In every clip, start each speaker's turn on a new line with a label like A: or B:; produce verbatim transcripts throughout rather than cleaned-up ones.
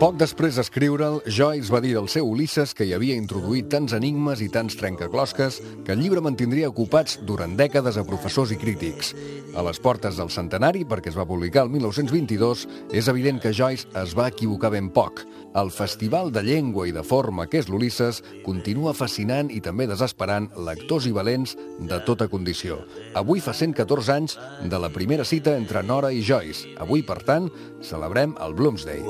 A: Poc després d'escriure'l, Joyce va dir del seu Ulisses que hi havia introduït tants enigmes i tants trencaclosques que el llibre mantindria ocupats durant dècades a professors i crítics. A les portes del centenari, perquè es va publicar el mil nou-cents vint-i-dos, és evident que Joyce es va equivocar ben poc. El festival de llengua i de forma que és l'Ulisses continua fascinant i també desesperant lectors i valents de tota condició. Avui fa cent catorze anys de la primera cita entre Nora i Joyce. Avui, per tant, celebrem el Bloomsday.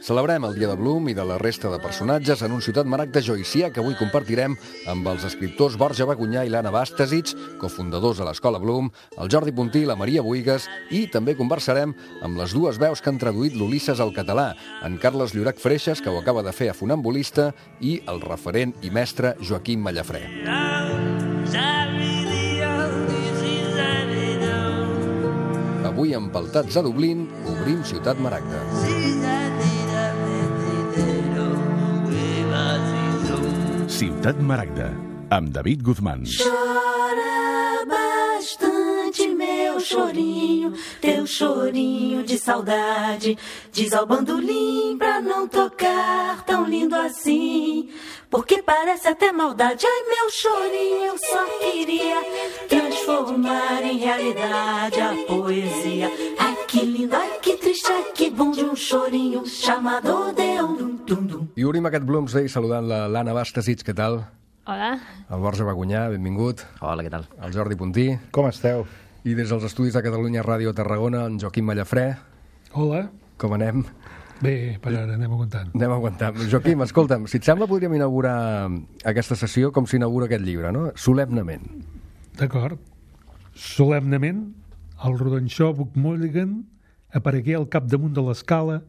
A: Celebrem el dia de Bloom i de la resta de personatges en un Ciutat Maragda joycià que avui compartirem amb els escriptors Borja Bagunyà i l'Anna Bastasic, cofundadors de l'Escola Bloom, el Jordi Puntí i la Maria Buigas, i també conversarem amb les dues veus que han traduït l'Ulisses al català, en Carles Llorach Freixas, que ho acaba de fer a Funambulista, i el referent i mestre Joaquim Mallafrè. Avui, empaltats a Dublín, obrim Ciutat Maragda.
B: Ciutat Maragda, amb David Guzmán.
C: Chora bastante, meu chorinho, teu chorinho de saudade. Diz ao bandolim pra não tocar tão lindo assim, porque parece até maldade. Ai, meu chorinho, eu só queria transformar em realidade a poesia. Ai, que lindo, ai, que triste, ai, que bom de um chorinho chamado Deum.
A: I obrim aquest Bloomsday saludant l'Anna Bastasic, què tal?
D: Hola.
A: El Borja Bagunyà, benvingut.
E: Hola, què tal?
A: El Jordi Puntí.
F: Com esteu?
A: I des dels estudis de Catalunya Ràdio Tarragona, en Joaquim Mallafrè.
G: Hola.
A: Com anem?
G: Bé, per ara anem aguantant.
A: Anem aguantant. Joaquim, escolta'm, si et sembla podríem inaugurar aquesta sessió com s'inaugura aquest llibre, no? Solemnement.
G: D'acord. Solemnement, el rodanxó Buck Mulligan aparegué al capdamunt de l'escala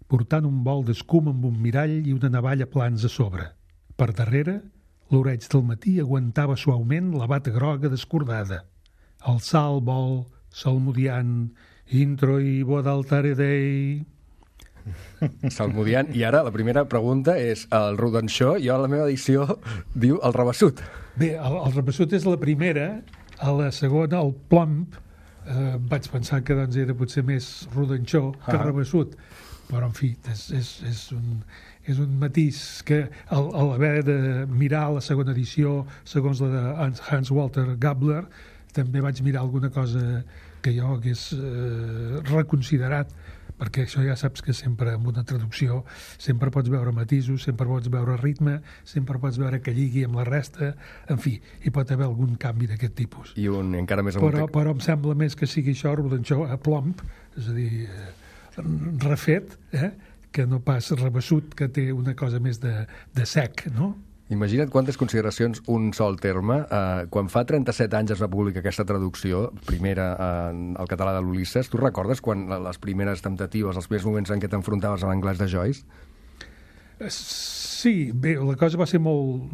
G: portant un bol d'escuma amb un mirall i una navalla plans a sobre. Per darrere, l'oreig del matí aguantava suaument la bata groga descordada. Alçar el bol, salmodiant, intro i vodaltare dei...
A: Salmodiant. I ara la primera pregunta és el rodanxó, jo a la meva edició diu el rabassut.
G: Bé, el, el rabassut és la primera, a la segona, el plump, eh, vaig pensar que doncs, era potser més rodanxó que
A: ah.
G: rabassut, però en fi, és, és, és, un, és un matís que al, al haver de mirar la segona edició segons la de Hans Walter Gabler també vaig mirar alguna cosa que jo hagués eh, reconsiderat, perquè això ja saps que sempre amb una traducció sempre pots veure matisos, sempre pots veure ritme, sempre pots veure que lligui amb la resta, en fi, hi pot haver algun canvi d'aquest tipus.
A: I un encara més amunt.
G: Però, però em sembla més que sigui això, rodanxó a plomb, és a dir, refet, eh? Que no pas rebassut, que té una cosa més de, de sec, no?
A: Imagina't quantes consideracions un sol terme. Eh, quan fa trenta-set anys es va publicar aquesta traducció, primera eh, al català de l'Ulisses, tu recordes quan les primeres temptatives, els primers moments en què t'enfrontaves a l'anglès de Joyce?
G: Sí, bé, la cosa va ser molt...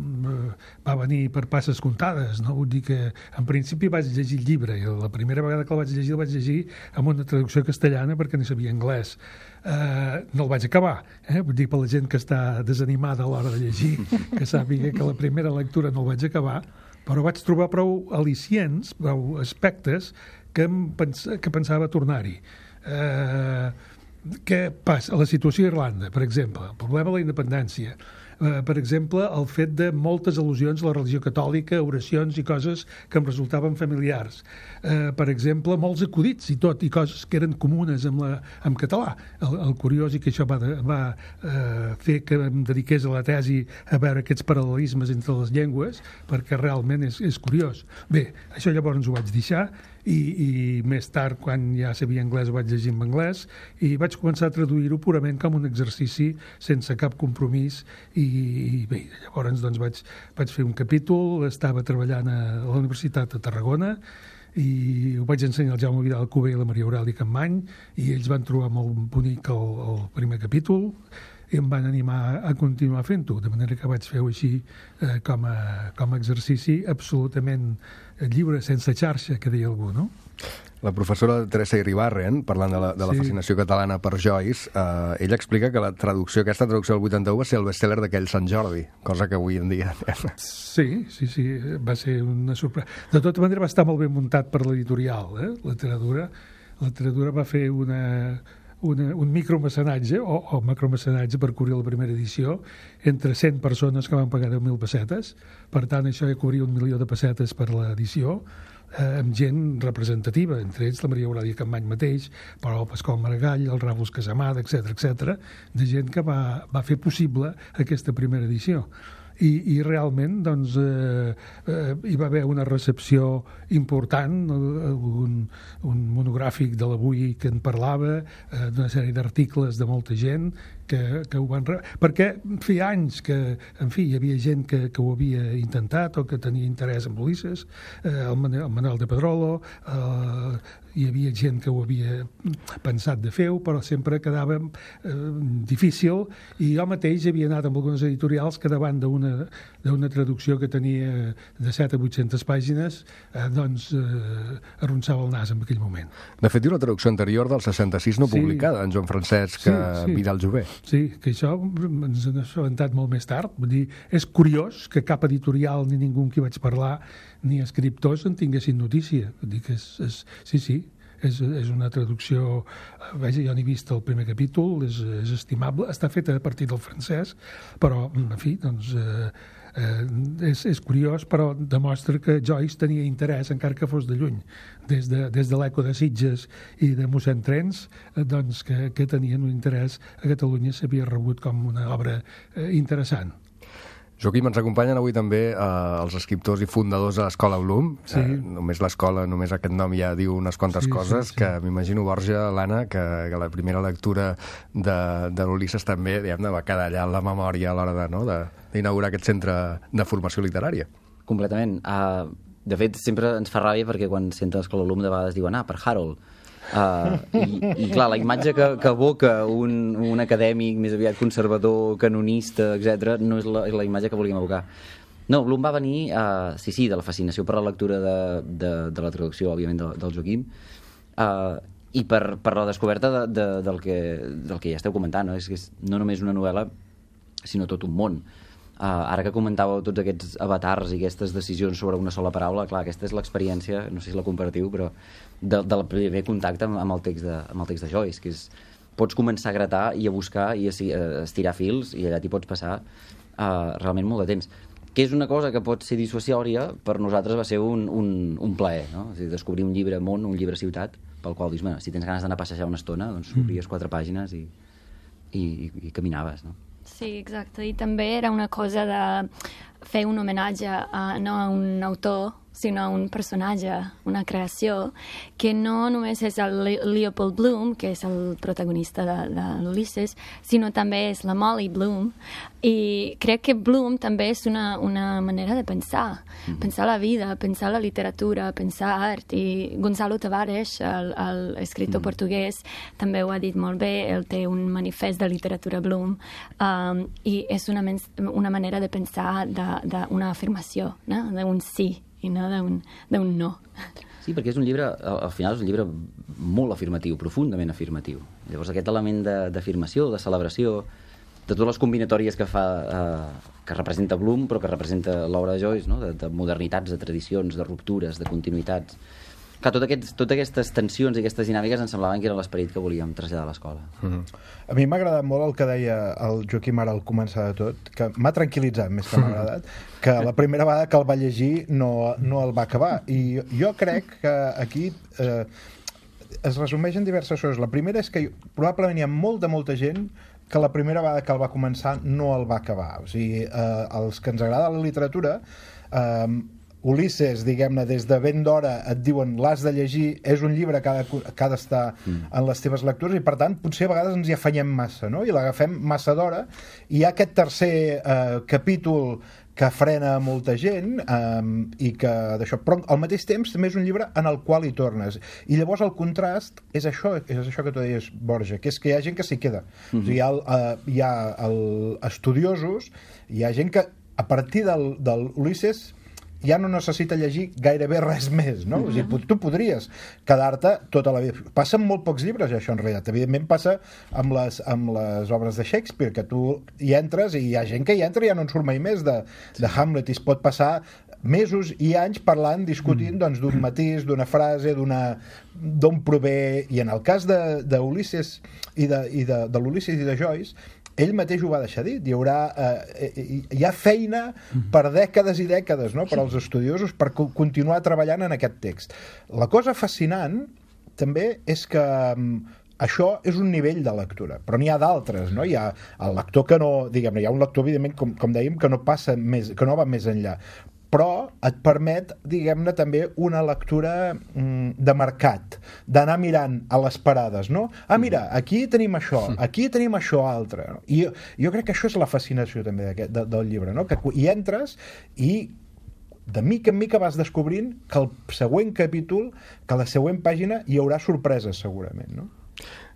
G: va venir per passes comptades, no? Vull dir que en principi vaig llegir el llibre i la primera vegada que el vaig llegir el vaig llegir amb una traducció castellana perquè no sabia anglès. Uh, no el vaig acabar, eh? Vull dir, per la gent que està desanimada a l'hora de llegir, que sàpiga que la primera lectura no el vaig acabar, però vaig trobar prou al·licients, prou aspectes que, em pens que pensava tornar-hi. Uh, Què passa? A la situació a Irlanda, per exemple, el problema de la independència, eh, per exemple, el fet de moltes al·lusions a la religió catòlica, oracions i coses que em resultaven familiars. Eh, per exemple, molts acudits i tot, i coses que eren comunes amb, la, amb català. El, el curiós i que això va, de, va eh, fer que em dediqués a la tesi a veure aquests paral·lelismes entre les llengües, perquè realment és, és curiós. Bé, això llavors ho vaig deixar, I, i més tard, quan ja sabia anglès, ho vaig llegir en anglès i vaig començar a traduir-ho purament com un exercici sense cap compromís i, i bé, llavors doncs vaig, vaig fer un capítol, estava treballant a la Universitat de Tarragona i ho vaig ensenyar al Jaume Vidal Cuber i la Maria Aurèlia Campmany i ells van trobar molt bonic el, el primer capítol i em van animar a continuar fent-ho, de manera que vaig fer-ho així eh, com, a, com a exercici absolutament lliure, sense xarxa, que deia algú, no?
A: La professora Teresa Iribarren, parlant de la, de la
G: Sí.
A: fascinació catalana per Joyce, eh, ella explica que la traducció, aquesta traducció del vuitanta-u va ser el best-seller d'aquell Sant Jordi, cosa que avui en dia...
G: Sí, sí, sí, va ser una sorpresa. De tota manera va estar molt ben muntat per l'editorial, eh? La literatura. La literatura va fer una, una, un micromecenatge o, o macromecenatge per cobrir la primera edició entre cent persones que van pagar deu mil pessetes. Per tant, això ja cobria un milió de pessetes per l'edició, eh, amb gent representativa, entre ells la Maria Eulàlia Campmany mateix, però el Pasqual Maragall, el Ràfols Casamada, etcètera, etcètera, de gent que va, va fer possible aquesta primera edició. I, i realment doncs, eh, eh, hi va haver una recepció important, un, un monogràfic de l'Avui que en parlava, eh, d'una sèrie d'articles de molta gent que, que ho van... Re... perquè feia anys que, en fi, hi havia gent que, que ho havia intentat o que tenia interès en Ulisses, eh, el, Manuel, el Manuel de Pedrolo, eh, hi havia gent que ho havia pensat de fer-ho, però sempre quedava eh, difícil, i jo mateix havia anat amb algunes editorials que davant d'una d'una traducció que tenia de set a vuit-centes pàgines, eh, doncs eh, arronsava el nas en aquell moment.
A: De fet, hi ha una traducció anterior del seixanta-sis no
G: Sí.
A: publicada, en Joan Francesc
G: Sí,
A: sí,
G: sí.
A: Vidal Jové.
G: Sí, que això ens n'ha assabentat molt més tard. Vull dir, és curiós que cap editorial ni ningú amb qui vaig parlar ni escriptors en tinguessin notícia. Vull dir que és, és, sí, sí, és, és una traducció... Vaja, jo n'he vist el primer capítol, és, és estimable, està feta a partir del francès, però, en fi, doncs... Eh, Eh, és, és curiós, però demostra que Joyce tenia interès, encara que fos de lluny, des de, des de l'Eco de Sitges i de mossèn Trens, eh, doncs que, que tenien un interès a Catalunya, s'havia rebut com una obra eh, interessant.
A: Joaquim, ens acompanyen avui també eh, els escriptors i fundadors de l'Escola Bloom.
G: Sí.
A: Eh, només l'escola, només aquest nom ja diu unes quantes
G: Sí, sí,
A: coses,
G: sí.
A: que m'imagino, Borja, l'Anna, que, que la primera lectura de, de l'Ulisses també, diguem-ne, va quedar allà en la memòria a l'hora de, no, de, d'inaugurar aquest centre de formació literària.
D: Completament. Uh, de fet, sempre ens fa ràbia perquè quan senten l'Escola Bloom de vegades diuen ah, per Harold. Uh, i, I clar, la imatge que, que evoca un, un acadèmic més aviat conservador, canonista, etcètera, no és la, és la imatge que volíem evocar. No, Bloom va venir, uh, sí, sí, de la fascinació per la lectura de, de, de la traducció, òbviament, de, del Joaquim, uh, i per, per la descoberta de, de, del, que, del que ja esteu comentant, no? És que és no només una novel·la, sinó tot un món. Uh, ara que comentàveu tots aquests avatars i aquestes decisions sobre una sola paraula, clar, aquesta és l'experiència, no sé si la comparatiu, però de, del primer contacte amb, amb, el text de, amb el text de Joyce, que és, pots començar a gratar i a buscar i a, a estirar fils, i allà t'hi pots passar uh, realment molt de temps. Que és una cosa que pot ser dissuasòria, per nosaltres va ser un, un, un plaer, no? És a dir, descobrir un llibre món, un llibre ciutat, pel qual dius, bueno, si tens ganes d'anar a passejar una estona, doncs obries quatre pàgines i, i, i, i caminaves, no?
E: Sí, exacte. I també era una cosa de fer un homenatge a, no a un autor, sinó a un personatge, una creació, que no només és el Leopold Bloom, que és el protagonista de, de l'Ulisses, sinó també és la Molly Bloom. I crec que Bloom també és una, una manera de pensar, mm-hmm. pensar la vida, pensar la literatura, pensar art. I Gonzalo Tavares, l'escriptor mm-hmm. portuguès, també ho ha dit molt bé, ell té un manifest de literatura Bloom, um, i és una, una manera de pensar d'una afirmació, no? D'un sí, i no d'un no.
D: Sí, perquè és un llibre, al final és un llibre molt afirmatiu, profundament afirmatiu. Llavors aquest element d'afirmació, de, de celebració, de totes les combinatòries que fa, eh, que representa Bloom, però que representa l'obra de Joyce, no? de, de modernitats, de tradicions, de ruptures, de continuïtats. Clar, tot aquests, totes aquestes tensions i aquestes dinàmiques ens semblaven que era l'esperit que volíem traslladar a l'escola.
F: Mm-hmm. A mi m'ha agradat molt el que deia el Joaquim ara al començar de tot, que m'ha tranquil·litzat més que m'ha agradat, que la primera vegada que el va llegir no, no el va acabar. I jo crec que aquí eh, es resumeix en diverses coses. La primera és que probablement hi ha molta, molta gent que la primera vegada que el va començar no el va acabar. O sigui, eh, els que ens agrada la literatura... Eh, Ulisses, diguem-ne, des de ben d'hora et diuen l'has de llegir, és un llibre que ha de, que ha d'estar mm. en les teves lectures, i per tant potser a vegades ens hi afanyem massa, no? I l'agafem massa d'hora, i hi ha aquest tercer eh, capítol que frena molta gent, eh, i que d'això, però al mateix temps també és un llibre en el qual hi tornes, i llavors el contrast és això, és això que tu deies, Borja, que és que hi ha gent que s'hi queda. Mm-hmm. O sigui, hi ha, el, eh, hi ha el, estudiosos, hi ha gent que a partir del, del Ulisses ja no necessita llegir gairebé res més, no? O sigui, tu podries quedar-te tota la vida. Passa amb molt pocs llibres, això, en realitat. Evidentment passa amb les, amb les obres de Shakespeare, que tu hi entres i hi ha gent que hi entra i ja no en surt mai més de, de Hamlet, i es pot passar mesos i anys parlant, discutint doncs, d'un matís, d'una frase, d'una d'on prové, i en el cas de, de Ulisses i de, i de, de l'Ulisses i de Joyce, ell mateix ho va deixar dit, hi haurà eh, hi ha feina per dècades i dècades, no?, per als estudiosos per co- continuar treballant en aquest text. La cosa fascinant també és que això és un nivell de lectura, però n'hi ha d'altres, no? Hi ha el lector que no, diguem-ne, hi ha un lector, evidentment, com, com dèiem, que no passa més, que no va més enllà, però et permet, diguem-ne, també una lectura mm, de mercat, d'anar mirant a les parades, no? Ah, mira, aquí tenim això, aquí tenim això altre. No? I jo, jo crec que això és la fascinació també d'aquest, de, del llibre, no? Que hi entres i de mica en mica vas descobrint que el següent capítol, que a la següent pàgina hi haurà sorpreses, segurament, no?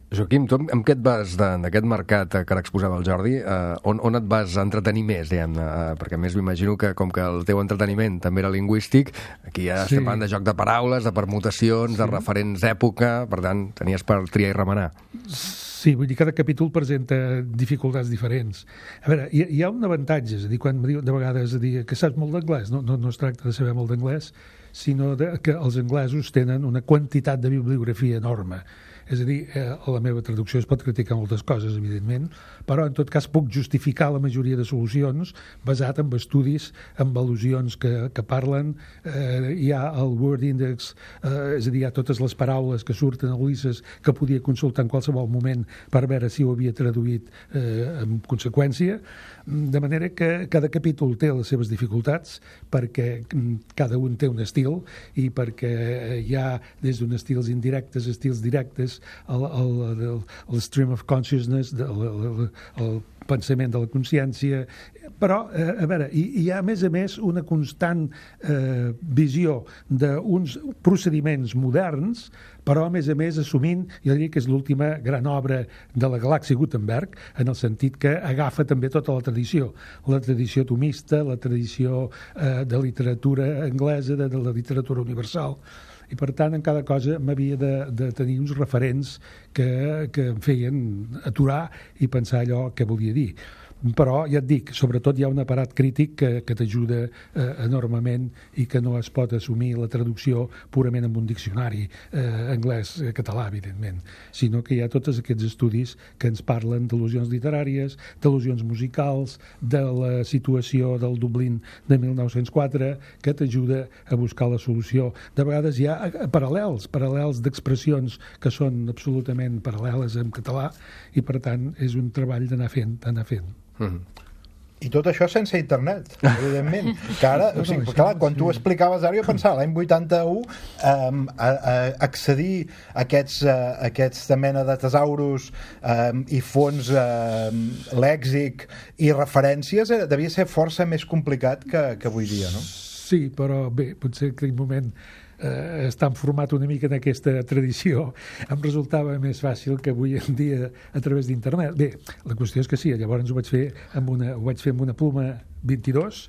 A: Joaquim, tu amb què et vas d'aquest mercat que ara exposava el Jordi, eh, on, on et vas entretenir més, diguem-ne? Eh, perquè a més m'imagino que com que el teu entreteniment també era lingüístic, aquí ja sí. estem parlant de joc de paraules, de permutacions, sí. de referents d'època, per tant, tenies per triar i remenar.
G: Sí, vull dir, cada capítol presenta dificultats diferents. A veure, hi, hi ha un avantatge, és a dir, quan me diuen de vegades a dir que saps molt d'anglès, no, no, no es tracta de saber molt d'anglès, sinó de, que els anglesos tenen una quantitat de bibliografia enorme. És a dir, eh, la meva traducció es pot criticar moltes coses, evidentment, però en tot cas puc justificar la majoria de solucions basat en estudis, en al·lusions que, que parlen. Eh, hi ha el Word Index, eh, és a dir, hi ha totes les paraules que surten a Ulisses que podia consultar en qualsevol moment per veure si ho havia traduït eh, en conseqüència. De manera que cada capítol té les seves dificultats perquè cada un té un estil i perquè hi ha des d'uns estils indirectes, estils directes, el, el, el, el stream of consciousness, el, el, el pensament de la consciència, però, eh, a veure, hi, hi ha a més a més una constant eh, visió d'uns procediments moderns, però a més a més assumint, jo diria que és l'última gran obra de la galàxia Gutenberg, en el sentit que agafa també tota la tradició, la tradició tomista, la tradició eh, de literatura anglesa, de, de la literatura universal, i per tant en cada cosa m'havia de, de tenir uns referents que, que em feien aturar i pensar allò que volia dir. Però, ja et dic, sobretot hi ha un aparat crític que, que t'ajuda eh, enormement i que no es pot assumir la traducció purament amb un diccionari eh, anglès-català, evidentment, sinó que hi ha tots aquests estudis que ens parlen d'al·lusions literàries, d'al·lusions musicals, de la situació del Dublín de mil nou-cents quatre, que t'ajuda a buscar la solució. De vegades hi ha paral·lels, paral·lels d'expressions que són absolutament paral·leles en català i, per tant, és un treball d'anar fent, d'anar fent.
A: Mm-hmm.
F: I tot això sense internet, evidentment. Que ara, o sigui, clar, quan tu ho explicaves ara, jo pensava, l'any vuitanta-u, um, a, a accedir a aquests, uh, aquesta mena de tesauros um, i fons um, lèxic i referències eh, devia ser força més complicat que, que avui dia, no?
G: Sí, però bé, potser en aquell moment eh, estan format una mica en aquesta tradició, em resultava més fàcil que avui en dia a través d'internet. Bé, la qüestió és que sí, llavors ho vaig fer amb una, ho vaig fer amb una pluma vint-i-dos,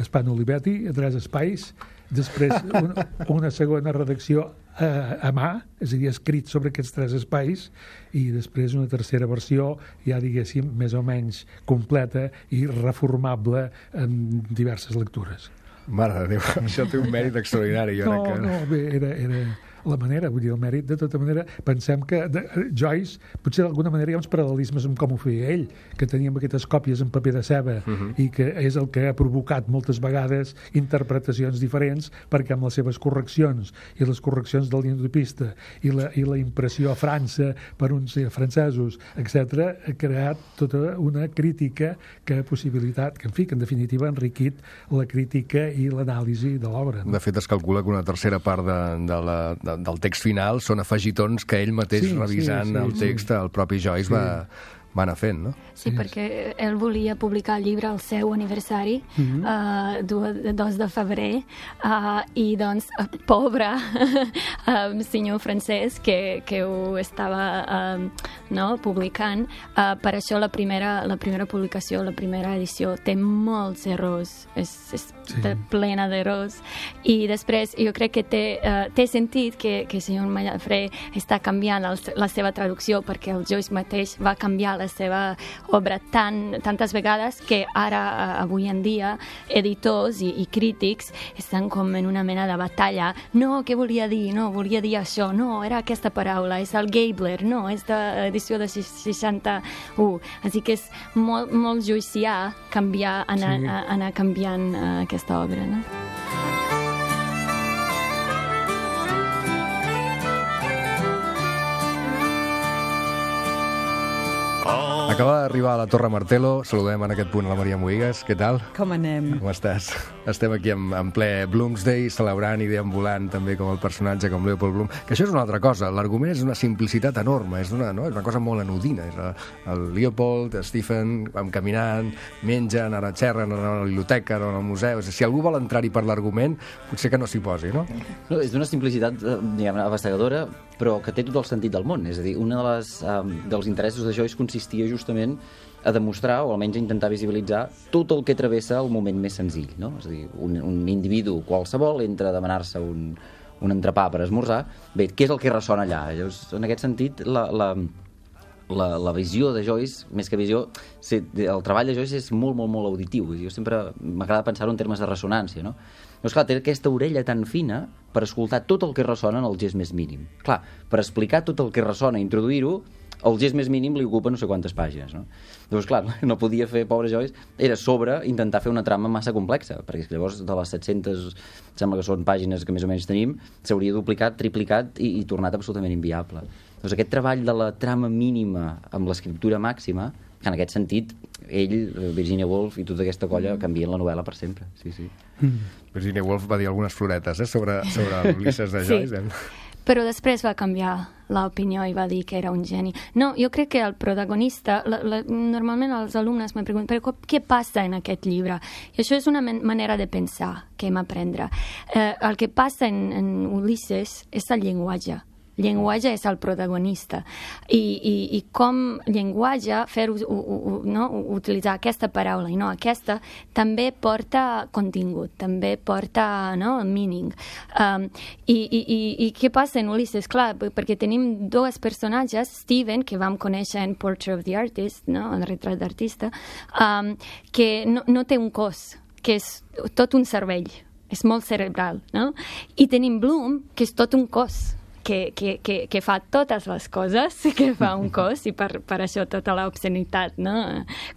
G: Spano Olivetti, a tres espais, després una, una segona redacció a, a mà, és a dir, escrit sobre aquests tres espais, i després una tercera versió, ja diguéssim, més o menys completa i reformable en diverses lectures.
A: Mare de Déu, això té un mèrit extraordinari. Jo
G: no,
A: que...
G: no, bé, era, era la manera, vull dir, el mèrit, de tota manera, pensem que de, Joyce, potser d'alguna manera hi ha uns paral·lelismes amb com ho feia ell, que teníem aquestes còpies en paper de ceba, uh-huh. i que és el que ha provocat moltes vegades interpretacions diferents, perquè amb les seves correccions, i les correccions del lingüista, i la, i la impressió a França per uns eh, francesos, etcètera, ha creat tota una crítica que ha possibilitat, que en fi, que en definitiva ha enriquit la crítica i l'anàlisi de l'obra. No?
A: De fet, es calcula que una tercera part de, de la, de, del text final són afegitons que ell mateix, sí, revisant sí, sí, el text, sí. el propi Joyce sí. va, va anar fent, no?
E: Sí, perquè ell volia publicar el llibre al seu aniversari, mm-hmm. uh, dos de febrer, uh, i doncs, uh, pobre uh, senyor francès que, que ho estava uh, no, publicant, uh, per això la primera, la primera publicació, la primera edició, té molts errors, és, és sí. plena d'errors, i després jo crec que té, uh, té sentit que, que el senyor Mallafré està canviant el, la seva traducció, perquè el Joyce mateix va canviar la seva obra tan, tantes vegades que ara, avui en dia, editors i, i crítics estan com en una mena de batalla. No, què volia dir? No, volia dir això. No, era aquesta paraula. És el Gabler. No, és d'edició de seixanta-u. Així que és molt, molt joicià canviar, anar, sí. anar canviant uh, aquesta obra, no?
A: Acaba d'arribar a la Torre Martelo. Saludem en aquest punt a la Maria Moïgues. Què tal?
H: Com anem?
A: Com estàs? Estem aquí en, en ple Bloomsday, celebrant i deambulant també com el personatge, com Leopold Bloom. Que això és una altra cosa. L'argument és una simplicitat enorme. És una, no? és una cosa molt anodina. És el, el Leopold, Stephen, vam caminant, mengen, ara xerren, anar a la biblioteca, anar al museu. Si algú vol entrar-hi per l'argument, potser que no s'hi posi, no?
D: No, és d'una simplicitat, diguem, abassegadora, però que té tot el sentit del món. És a dir, un de les, um, dels interessos de Joyce consistia justament a demostrar, o almenys a intentar visibilitzar, tot el que travessa el moment més senzill, no? És a dir, un, un individu qualsevol entra a demanar-se un, un entrepà per esmorzar. Bé, què és el que ressona allà? Llavors, en aquest sentit, la, la, la, la visió de Joyce, més que visió, el treball de Joyce és molt, molt, molt auditiu. Jo sempre m'agrada pensar-ho en termes de ressonància, no? Llavors, clar, té aquesta orella tan fina per escoltar tot el que ressona en el gest més mínim. Clar, per explicar tot el que ressona i introduir-ho, el gest més mínim li ocupa no sé quantes pàgines, no? Llavors, clar, no podia fer, pobre Joyce, era sobre intentar fer una trama massa complexa, perquè llavors de les set-centes, sembla que són pàgines que més o menys tenim, s'hauria duplicat, triplicat i, i tornat absolutament inviable. Doncs aquest treball de la trama mínima amb l'escriptura màxima, que en aquest sentit, ell, Virginia Woolf i tota aquesta colla canvien la novel·la per sempre. Sí, sí.
A: Mm. Virginia Woolf va dir algunes floretes eh, sobre, sobre Ulisses de Joyce. Sí. Eh?
E: Però després va canviar l'opinió i va dir que era un geni. No, jo crec que el protagonista, la, la, normalment els alumnes me pregunten però què passa en aquest llibre? I això és una manera de pensar que hem aprendre. Eh, el que passa en, en Ulisses és el llenguatge. Llenguatge és el protagonista i, i, i com llenguatge fer u, u, u, no? utilitzar aquesta paraula i no aquesta també porta contingut, també porta no? meaning um, i, i, i, i què passa en Ulisses? Clar, perquè tenim dos personatges, Stephen, que vam conèixer en Portrait of the Artist, no? El retrat d'artista, um, que no, no té un cos, que és tot un cervell, és molt cerebral, no? I tenim Bloom, que és tot un cos, Que, que, que, que fa totes les coses que fa un cos i per, per això tota l'obscenitat, no?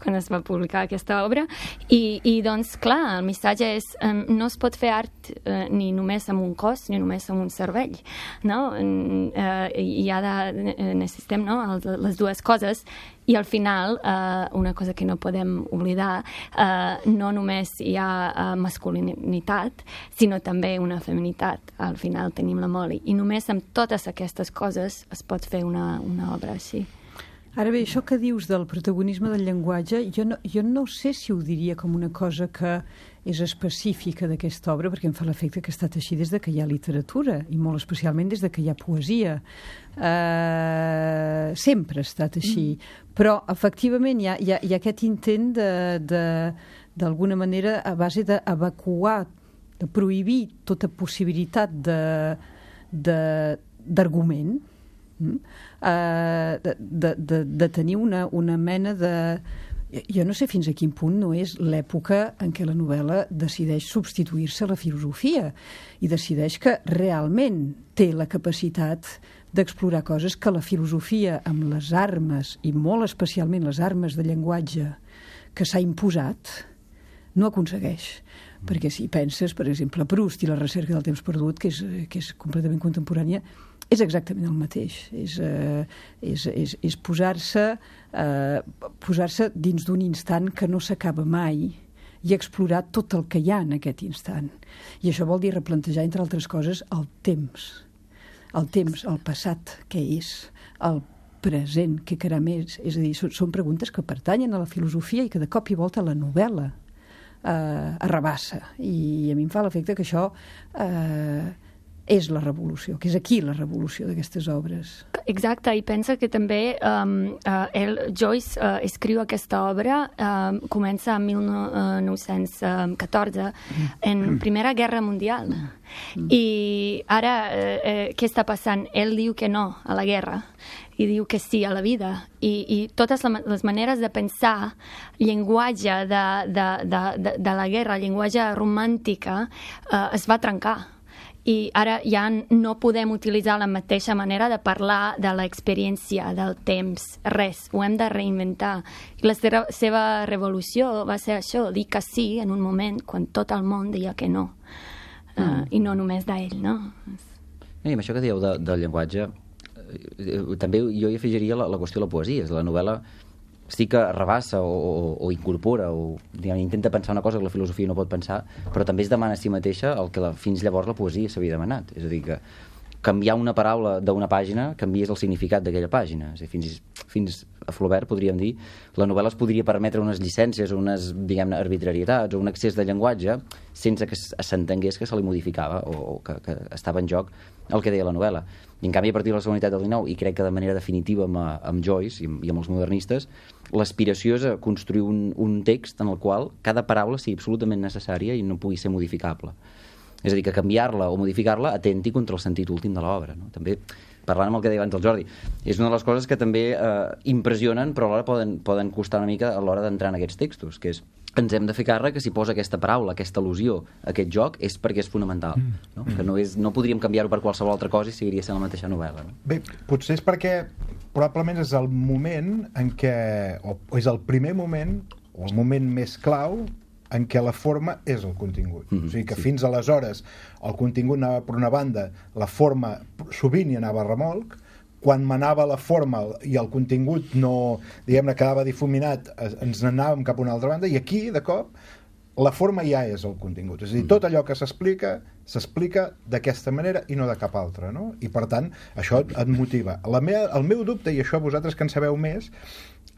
E: Quan es va publicar aquesta obra i, i doncs clar, el missatge és um, no es pot fer art uh, ni només amb un cos ni només amb un cervell, no? Uh, i ha de, necessitem no? les dues coses i al final, uh, una cosa que no podem oblidar, uh, no només hi ha uh, masculinitat, sinó també una feminitat. Al final tenim la Molly. I només amb totes aquestes coses es pot fer una, una obra així.
H: Ara bé, això que dius del protagonisme del llenguatge, jo no, jo no sé si ho diria com una cosa que és específica d'aquesta obra, perquè em fa l'efecte que ha estat així des de que hi ha literatura, i molt especialment des de que hi ha poesia. Uh, sempre ha estat així. Mm. Però, efectivament, hi ha, hi ha, hi ha aquest intent de, de, d'alguna manera, a base d'evacuar, de prohibir tota possibilitat de, de, d'argument, Mm? Uh, de, de, de, de tenir una, una mena de... Jo no sé fins a quin punt no és l'època en què la novel·la decideix substituir-se a la filosofia i decideix que realment té la capacitat d'explorar coses que la filosofia amb les armes, i molt especialment les armes de llenguatge que s'ha imposat, no aconsegueix. Mm. Perquè si penses, per exemple, Proust i la recerca del temps perdut, que és, que és completament contemporània, és exactament el mateix. És, eh, és, és, és posar-se eh, posar-se dins d'un instant que no s'acaba mai i explorar tot el que hi ha en aquest instant. I això vol dir replantejar, entre altres coses, el temps. El temps, el passat, què és? El present, què caram és? És a dir, són, són preguntes que pertanyen a la filosofia i que de cop i volta la novel·la eh, arrabassa. I a mi em fa l'efecte que això eh, és la revolució, que és aquí la revolució d'aquestes obres.
E: Exacte, i pensa que també um, uh, el, Joyce uh, escriu aquesta obra, um, comença en mil nou-cents catorze, en Primera Guerra Mundial. Mm. I ara, eh, eh, què està passant? Ell diu que no a la guerra i diu que sí a la vida. I, i totes les maneres de pensar, llenguatge de, de, de, de, de la guerra, llenguatge romàntica, eh, es va trencar. I ara ja no podem utilitzar la mateixa manera de parlar de l'experiència, del temps, res, ho hem de reinventar. I la seva revolució va ser això, dir que sí en un moment quan tot el món deia que no. Uh, mm. I no només d'ell, no?
D: I amb això que dieu de, del llenguatge, eh, també jo hi afegiria la, la qüestió de la poesia. La novel·la sí que rebassa o, o, o incorpora o diguem, intenta pensar una cosa que la filosofia no pot pensar, però també es demana a si mateixa el que la, fins llavors la poesia s'havia demanat. És a dir, que canviar una paraula d'una pàgina canvies el significat d'aquella pàgina. És a dir, fins, fins a Flaubert, podríem dir, la novel·la es podria permetre unes llicències o unes, diguem-ne, arbitrarietats o un excés de llenguatge sense que s'entengués que se li modificava o, o que, que estava en joc el que deia la novel·la. I en canvi, a partir de la segona meitat del dinou, i crec que de manera definitiva amb, amb Joyce i amb, i amb els modernistes, l'aspiració és a construir un, un text en el qual cada paraula sigui absolutament necessària i no pugui ser modificable. És a dir, que canviar-la o modificar-la atenti contra el sentit últim de l'obra. No? També, parlant amb el que deia abans el Jordi, és una de les coses que també eh, impressionen, però alhora poden, poden costar una mica a l'hora d'entrar en aquests textos, que és ens hem de fer càrrec que si posa aquesta paraula, aquesta al·lusió, aquest joc, és perquè és fonamental. No? Que no, és, no podríem canviar-ho per qualsevol altra cosa i seguiria sent la mateixa novel·la. No?
F: Bé, potser és perquè probablement és el moment en què, o és el primer moment, o el moment més clau, en què la forma és el contingut. Mm-hmm, o sigui que sí. Fins aleshores el contingut anava per una banda, la forma sovint hi anava a remolc, quan manava la forma i el contingut no, diguem-ne, quedava difuminat, ens n'anàvem cap a una altra banda, i aquí, de cop, la forma ja és el contingut. És a dir, tot allò que s'explica, s'explica d'aquesta manera i no de cap altra, no? I, per tant, això et motiva. La meva, el meu dubte, i això vosaltres que en sabeu més,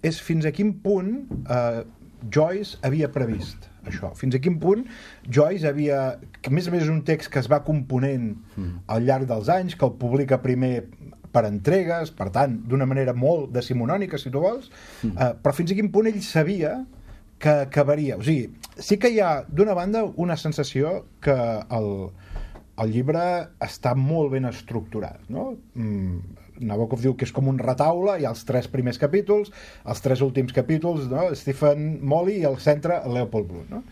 F: és fins a quin punt eh, Joyce havia previst això. Fins a quin punt Joyce havia... Que a més a més és un text que es va component al llarg dels anys, que el publica primer per entregues, per tant, d'una manera molt decimonònica, si tu vols, mm. eh, però fins a quin punt ell sabia que acabaria. O sigui, sí que hi ha, d'una banda, una sensació que el, el llibre està molt ben estructurat, no? Mm, Nabokov diu que és com un retaule, hi ha els tres primers capítols, els tres últims capítols, no? Stephen Molly, i al centre Leopold Bloom, no?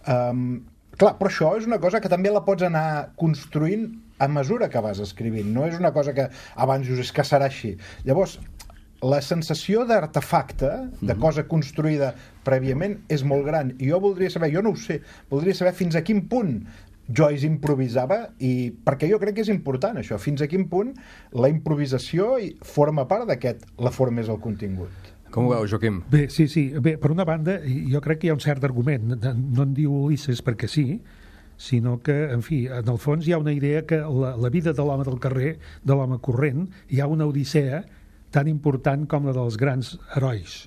F: Um, clar, però això és una cosa que també la pots anar construint a mesura que vas escrivint, no és una cosa que abans dius, és que serà així. Llavors, la sensació d'artefacte, de cosa construïda prèviament, és molt gran, i jo voldria saber, jo no ho sé, voldria saber fins a quin punt Joyce improvisava, i perquè jo crec que és important això, fins a quin punt la improvisació forma part d'aquest, la forma és el contingut.
A: Com ho veu, Joaquim?
G: Bé, sí, sí. Bé, per una banda, jo crec que hi ha un cert argument. No en diu Ulisses perquè sí, sinó que, en fi, en el fons hi ha una idea que la, la vida de l'home del carrer, de l'home corrent, hi ha una odissea tan important com la dels grans herois.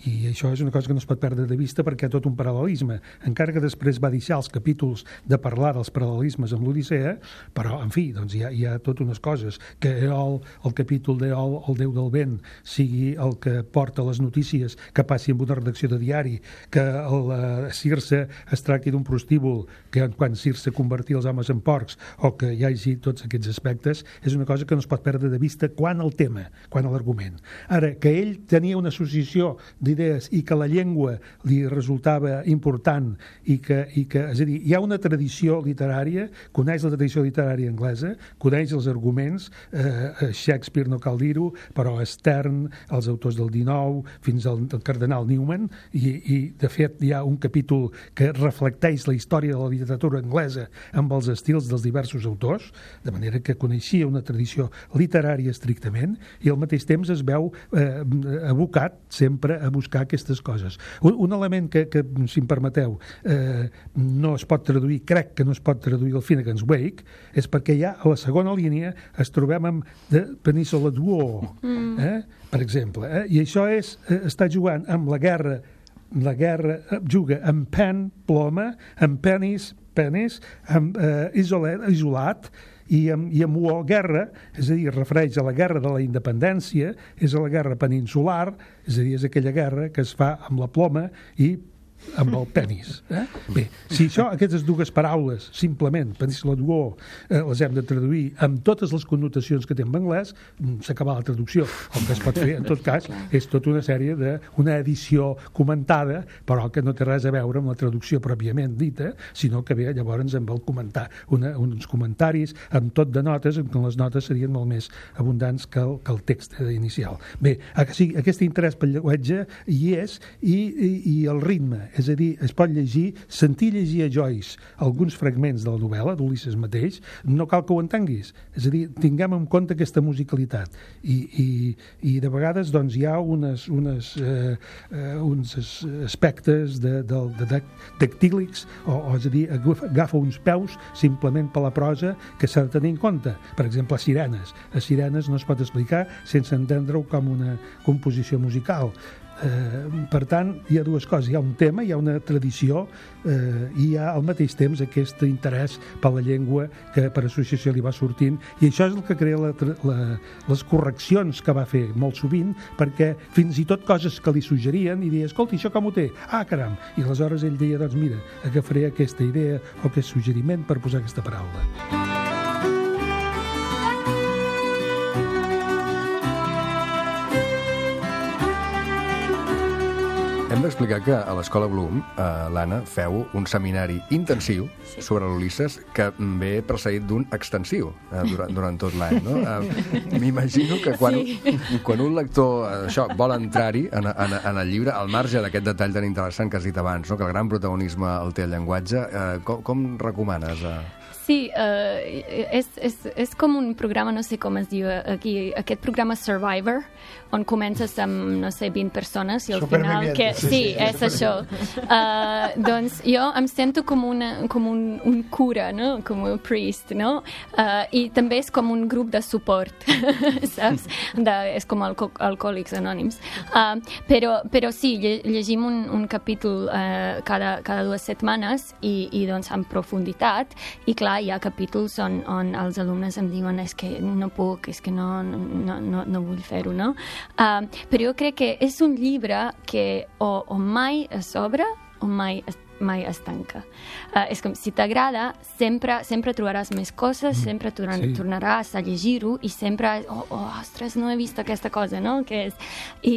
G: I això és una cosa que no es pot perdre de vista perquè hi ha tot un paral·lelisme. Encara que després va deixar els capítols de parlar dels paral·lelismes amb l'Odissea, però, en fi, doncs hi ha, hi ha tot unes coses. Que Eol, el capítol d'Eol, el déu del vent, sigui el que porta les notícies que passi amb una redacció de diari, que la Circe es tracti d'un prostíbul, que quan Circe convertia els homes en porcs, o que hi hagi tots aquests aspectes, és una cosa que no es pot perdre de vista quan el tema, quan l'argument. Ara, que ell tenia una associació d'idees i que la llengua li resultava important i que, i que, és a dir, hi ha una tradició literària, coneix la tradició literària anglesa, coneix els arguments, eh, Shakespeare no cal dir-ho, però Stern, els autors del dinou, fins al, al cardenal Newman, i, i de fet hi ha un capítol que reflecteix la història de la literatura anglesa amb els estils dels diversos autors, de manera que coneixia una tradició literària estrictament, i al mateix temps es veu eh, abocat sempre a buscar aquestes coses. Un, un element que, que, si em permeteu, eh, no es pot traduir, crec que no es pot traduir el Finnegan's Wake, és perquè ja a la segona línia es trobem amb The Peninsula Duo, mm. eh? per exemple. Eh? I això és, eh, està jugant amb la guerra, la guerra eh, juga amb pen, ploma, amb penis, penis, amb eh, isolat, isolat i amb, i amb o guerra, és a dir, es refereix a la guerra de la independència, és a la guerra peninsular, és a dir, és aquella guerra que es fa amb la ploma i amb el penis. Eh? Bé, si això, aquestes dues paraules, simplement, península duo, eh, les hem de traduir amb totes les connotacions que té en anglès, s'acaba la traducció. El que es pot fer, en tot cas, és tota una sèrie d'una edició comentada, però que no té res a veure amb la traducció pròpiament dita, sinó que ve llavors amb el comentar, una, uns comentaris amb tot de notes, en què les notes serien molt més abundants que el, que el text inicial. Bé, sí, aquest interès pel llenguatge hi és, i, i, i el ritme, és a dir, es pot llegir, sentir llegir a Joyce alguns fragments de la novel·la, d'Ulisses mateix, no cal que ho entenguis. És a dir, tinguem en compte aquesta musicalitat. I, i, i de vegades doncs, hi ha unes, unes, eh, eh, uns aspectes de, de, de, de dactílics, o, o és a dir, agafa uns peus simplement per la prosa que s'ha de tenir en compte. Per exemple, a Sirenes. A Sirenes no es pot explicar sense entendre-ho com una composició musical. Eh, per tant, hi ha dues coses, hi ha un tema, hi ha una tradició, eh, i hi ha al mateix temps aquest interès per la llengua que per associació li va sortint, i això és el que crea la, la, les correccions que va fer molt sovint, perquè fins i tot coses que li suggerien i deia, escolta, això com ho té? Ah, caram! I aleshores ell deia, doncs mira, agafaré aquesta idea o aquest suggeriment per posar aquesta paraula.
A: Hem d'explicar que a l'Escola Bloom, eh, l'Anna, feu un seminari intensiu sí. sobre l'Ulisses que ve precedit d'un extensiu eh, durant, durant tot l'any. No? Eh, M'imagino que quan, sí. quan un lector eh, això vol entrar-hi en, en, en el llibre, al marge d'aquest detall tan interessant que has dit abans, no? que el gran protagonisme el té el llenguatge, eh, com, com recomanes? Eh?
E: Sí, uh, és, és, és com un programa, no sé com es diu aquí, aquest programa Survivor, on comences amb, no sé, vint persones i al final... Que, sí, sí, sí, és això. Uh, doncs jo em sento com, una, com un, un cura, no? Com un priest, no? Uh, I també és com un grup de suport, saps? De, és com alco alcohòlics anònims. Uh, però, però sí, lle llegim un, un capítol uh, cada, cada dues setmanes i, i doncs en profunditat, i clar, hi ha capítols on, on els alumnes em diuen és que no puc, és que no, no, no, no vull fer-ho, no? Uh, però jo crec que és un llibre que o, o mai es obre o mai es, mai es tanca. Uh, és com, si t'agrada, sempre, sempre trobaràs més coses, mm, sempre torn sí. tornaràs a llegir-ho i sempre, oh, oh, ostres, no he vist aquesta cosa, no? Que és... I,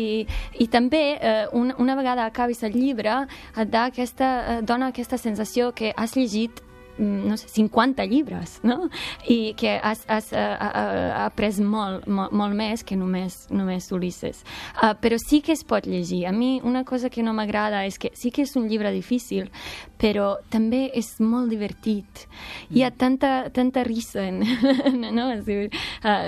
E: i també, uh, una, una vegada acabis el llibre, et da aquesta, uh, dona aquesta sensació que has llegit no sé, cinquanta llibres, no? I que has, has uh, uh, après molt, molt, molt més que només, només Ulisses. Uh, però sí que es pot llegir. A mi una cosa que no m'agrada és que sí que és un llibre difícil, però també és molt divertit. Hi ha tanta, tanta risa en, no? Uh,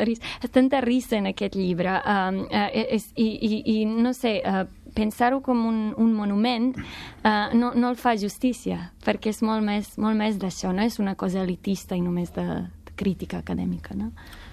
E: ris, tanta risa en aquest llibre. Um, uh, és, i, i, I no sé... Uh, pensar-ho com un, un monument uh, no, no el fa justícia, perquè és molt més, molt més d'això, no és una cosa elitista i només de, de crítica acadèmica, no?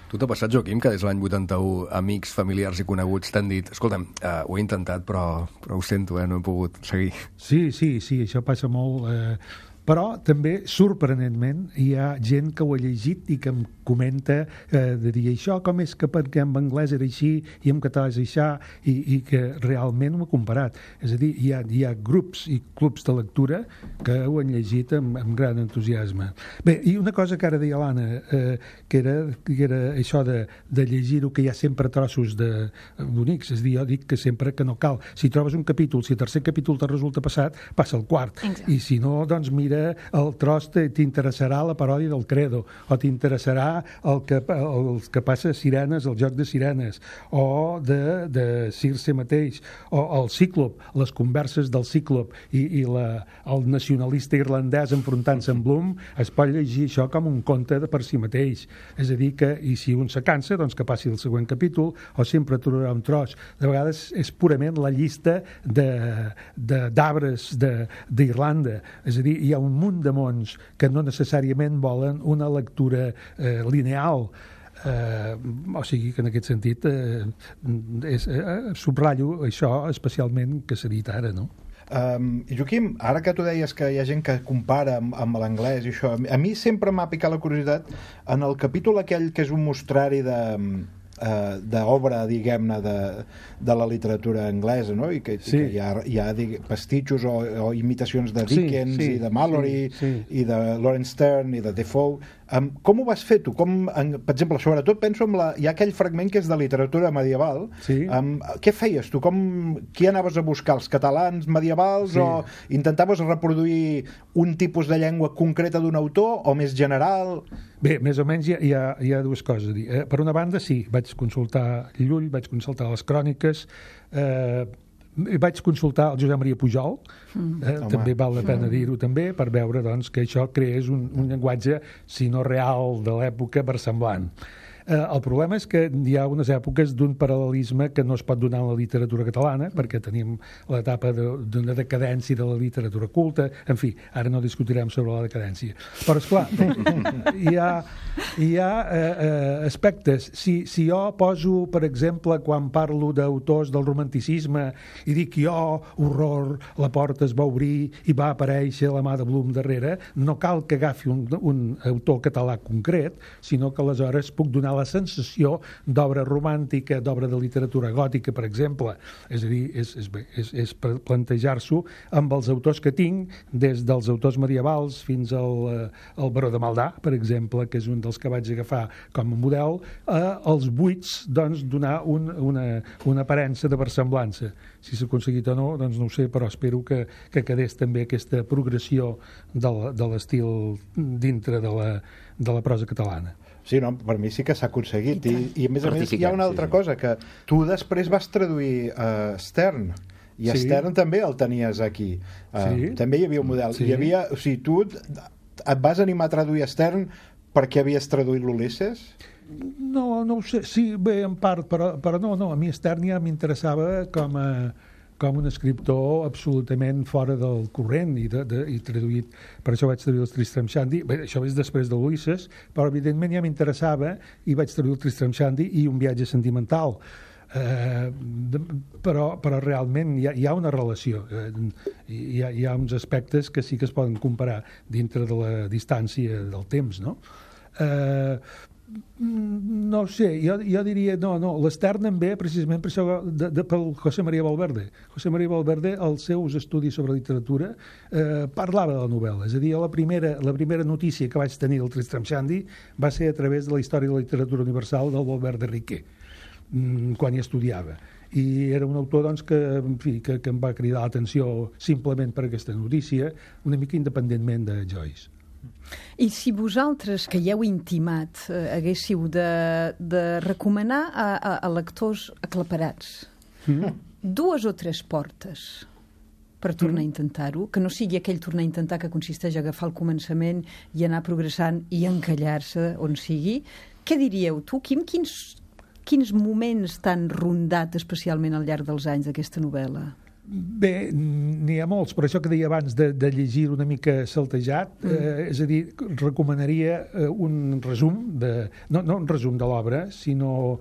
A: Tu t'ha passat, Joaquim, que des de l'any vuitanta-u amics, familiars i coneguts t'han dit escolta'm, uh, ho he intentat, però, però ho sento, eh, no he pogut seguir.
G: Sí, sí, sí, això passa molt... Eh... Però també, sorprenentment, hi ha gent que ho ha llegit i que em comenta eh, de dir això com és que perquè en anglès era així i en català és això, i, i que realment ho ha comparat. És a dir, hi ha, hi ha grups i clubs de lectura que ho han llegit amb, amb gran entusiasme. Bé, i una cosa que ara deia l'Anna, eh, que, era, que era això de, de llegir-ho, que hi ha sempre trossos de bonics, és a dir, jo dic que sempre que no cal. Si trobes un capítol, si el tercer capítol te resulta passat, passa el quart. Exacte. I si no, doncs mira el tros t'interessarà la paròdia del Credo, o t'interessarà el que, el que passa a Sirenes, el joc de Sirenes, o de, de Circe mateix, o el Cíclop, les converses del Cíclop i, i la, el nacionalista irlandès enfrontant-se amb Bloom, es pot llegir això com un conte de per si mateix. És a dir que, i si un se cansa, doncs que passi el següent capítol, o sempre trobarà un tros. De vegades és purament la llista d'arbres d'Irlanda. És a dir, hi ha un munt de mons que no necessàriament volen una lectura eh, lineal. Eh, o sigui que en aquest sentit eh, és, eh, subratllo això especialment que s'ha dit ara, no?
F: Um, Joaquim, ara que tu deies que hi ha gent que compara amb, amb l'anglès i això, a mi sempre m'ha picat la curiositat en el capítol aquell que és un mostrari de uh, d'obra, diguem-ne, de, de la literatura anglesa, no? I que, sí. i que hi ha, hi ha digue, pastitxos o, o imitacions de Dickens sí, sí, i de Mallory sí, sí. i de Lawrence Stern i de Defoe. Um, com ho vas fer tu? Com, en, per exemple, sobretot penso en la, hi ha aquell fragment que és de literatura medieval. Sí. Um, què feies tu? Com, qui anaves a buscar? Els catalans medievals sí. o intentaves reproduir un tipus de llengua concreta d'un autor o més general?
G: Bé, més o menys hi ha, hi ha, hi ha dues coses a dir. Eh, per una banda, sí, vaig consultar Llull, vaig consultar les cròniques, eh, vaig consultar el Josep Maria Pujol, mm. eh, també val la pena dir-ho també, per veure doncs, que això creés un, un llenguatge, si no real, de l'època versemblant. Eh, el problema és que hi ha unes èpoques d'un paral·lelisme que no es pot donar en la literatura catalana, perquè tenim l'etapa d'una de, decadència de la literatura culta, en fi, ara no discutirem sobre la decadència. Però, esclar, hi ha, hi ha eh, eh, aspectes. Si, si jo poso, per exemple, quan parlo d'autors del romanticisme i dic jo, horror, la porta es va obrir i va aparèixer la mà de Blum darrere, no cal que agafi un, un autor català concret, sinó que aleshores puc donar la sensació d'obra romàntica, d'obra de literatura gòtica, per exemple. És a dir, és, és, és, és plantejar-s'ho amb els autors que tinc, des dels autors medievals fins al, al Baró de Maldà, per exemple, que és un dels que vaig agafar com a model, eh, als buits, doncs, donar un, una, una aparença de versemblança. Si s'ha aconseguit o no, doncs no ho sé, però espero que, que quedés també aquesta progressió de l'estil dintre de la, de la prosa catalana.
F: Sí, no, per mi sí que s'ha aconseguit. I, i a més a més hi ha una altra sí, sí. cosa, que tu després vas traduir uh, Stern, i sí. Stern també el tenies aquí. Uh, sí. També hi havia un model. Sí. Hi havia, o sigui, tu et vas animar a traduir Stern perquè havies traduït l'Ulisses?
G: No, no ho sé. Sí, bé, en part, però, però no, no. A mi Stern ja m'interessava com a com un escriptor absolutament fora del corrent i, de, de, i traduït, per això vaig traduir el Tristram Shandy. Bé, això és després de l'Ulisses, però evidentment ja m'interessava i vaig traduir el Tristram Shandy i un viatge sentimental. Eh, de, però, però realment hi ha, hi ha una relació, eh, hi, ha, hi ha uns aspectes que sí que es poden comparar dintre de la distància del temps, no? Eh, no sé, jo, jo diria no, no, l'Stern en ve precisament per això de, de, pel José María Valverde. José María Valverde, els seus estudis sobre literatura eh, parlava de la novel·la, és a dir, la primera, la primera notícia que vaig tenir del Tristram Shandy va ser a través de la història de la literatura universal del Valverde Riquer, quan hi estudiava. I era un autor doncs, que, en fi, que, que em va cridar l'atenció simplement per aquesta notícia, una mica independentment de Joyce.
H: I si vosaltres, que hi heu intimat, eh, haguéssiu de, de recomanar a, a, a lectors aclaparats mm. dues o tres portes per tornar mm. a intentar-ho, que no sigui aquell tornar a intentar que consisteix a agafar el començament i anar progressant i encallar-se on sigui, què diríeu tu, Quim? Quins, quins moments t'han rondat especialment al llarg dels anys d'aquesta novel·la?
G: Bé, n'hi ha molts, però això que deia abans de, de llegir una mica saltejat, mm. eh, és a dir, recomanaria eh, un resum, de, no, no un resum de l'obra, sinó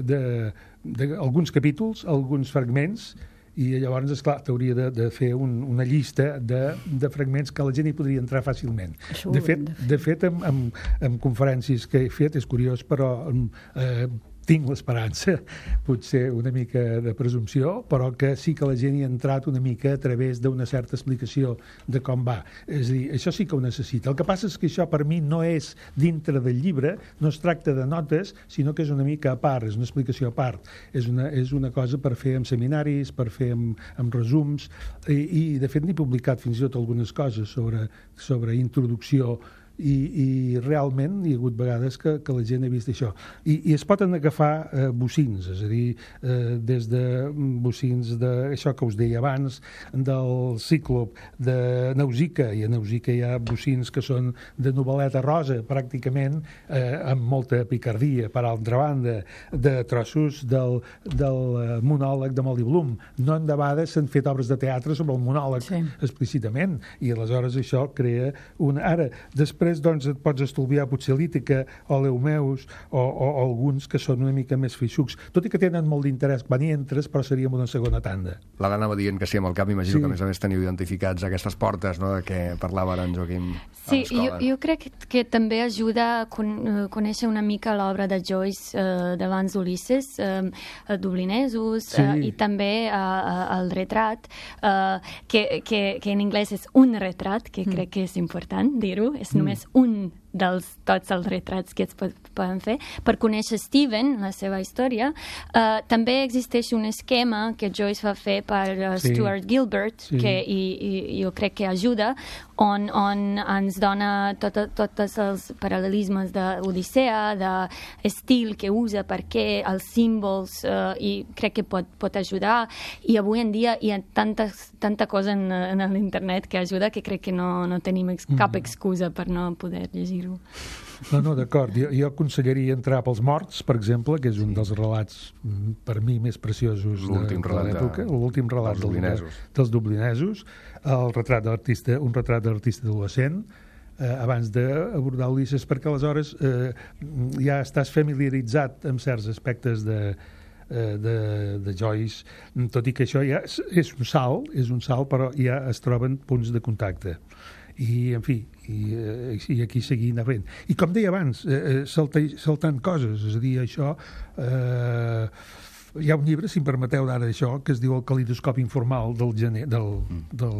G: d'alguns capítols, alguns fragments, i llavors, esclar, t'hauria de, de fer un, una llista de, de fragments que la gent hi podria entrar fàcilment. Això de fet, de fet amb, amb, amb conferències que he fet, és curiós, però eh, tinc l'esperança, potser una mica de presumpció, però que sí que la gent hi ha entrat una mica a través d'una certa explicació de com va. És a dir, això sí que ho necessita. El que passa és que això per mi no és dintre del llibre, no es tracta de notes, sinó que és una mica a part, és una explicació a part. És una, és una cosa per fer en seminaris, per fer amb, amb resums, i, i de fet n'he publicat fins i tot algunes coses sobre, sobre introducció. I, i realment hi ha hagut vegades que, que la gent ha vist això. I, i es poden agafar eh, bocins, és a dir, eh, des de bocins d'això que us deia abans, del Cíclop, de Nausicaa, i a Nausicaa hi ha bocins que són de novel·leta rosa, pràcticament, eh, amb molta picardia, per altra banda, de trossos del, del monòleg de Molly Bloom. No en debades s'han fet obres de teatre sobre el monòleg sí. explícitament, i aleshores això crea un... Ara, després després doncs, et pots estolviar potser l'Ítica o l'Eumeus o, o, o alguns que són una mica més feixucs, tot i que tenen molt d'interès quan hi entres, però seríem una segona tanda.
A: L'Anna anava dient que sí amb el cap, imagino
G: Sí.
A: que a més a més teniu identificats aquestes portes, no?, de què parlava ara en Joaquim
E: Sí,
A: a l'escola.
E: jo, jo crec que, que també ajuda a con, uh, conèixer una mica l'obra de Joyce uh, d'abans d'Ulisses, uh, Dublinesos,
G: Sí.
E: uh, i també uh, uh, el retrat, uh, que, que, que en anglès és un retrat, que crec que és important dir-ho, és només un dels tots els retrats que es pot, poden fer. Per conèixer Steven, la seva història, uh, també existeix un esquema que Joyce va fer per uh,
G: Sí.
E: Stuart Gilbert,
G: Sí.
E: que i, i jo crec que ajuda, on, on ens dona tots tot els paral·lelismes d'Odissea, d'estil que usa, per què, els símbols, uh, i crec que pot, pot ajudar. I avui en dia hi ha tanta, tanta cosa en, en l'internet que ajuda que crec que no, no tenim ex, cap excusa per no poder llegir-ho.
G: No, no, d'acord. Jo, jo aconsellaria entrar pels morts, per exemple, que és un dels relats, mm, per mi, més preciosos de,
A: L'últim
G: de
A: relat de-
G: l'època, l'últim relat
A: dels
G: del-
A: dublinesos.
G: dels dublinesos, el retrat d'artista, un retrat d'artista adolescent, eh, abans d'abordar Ulisses, perquè aleshores eh, ja estàs familiaritzat amb certs aspectes de, eh, de, de Joyce, tot i que això ja és, és un salt, és un salt, però ja es troben punts de contacte. I, en fi, i, eh, i aquí seguint fent. I com deia abans, eh, salta, saltant coses, és a dir, això... Eh, hi ha un llibre, si em permeteu d'ara això, que es diu El calidoscopi informal del gener, del, del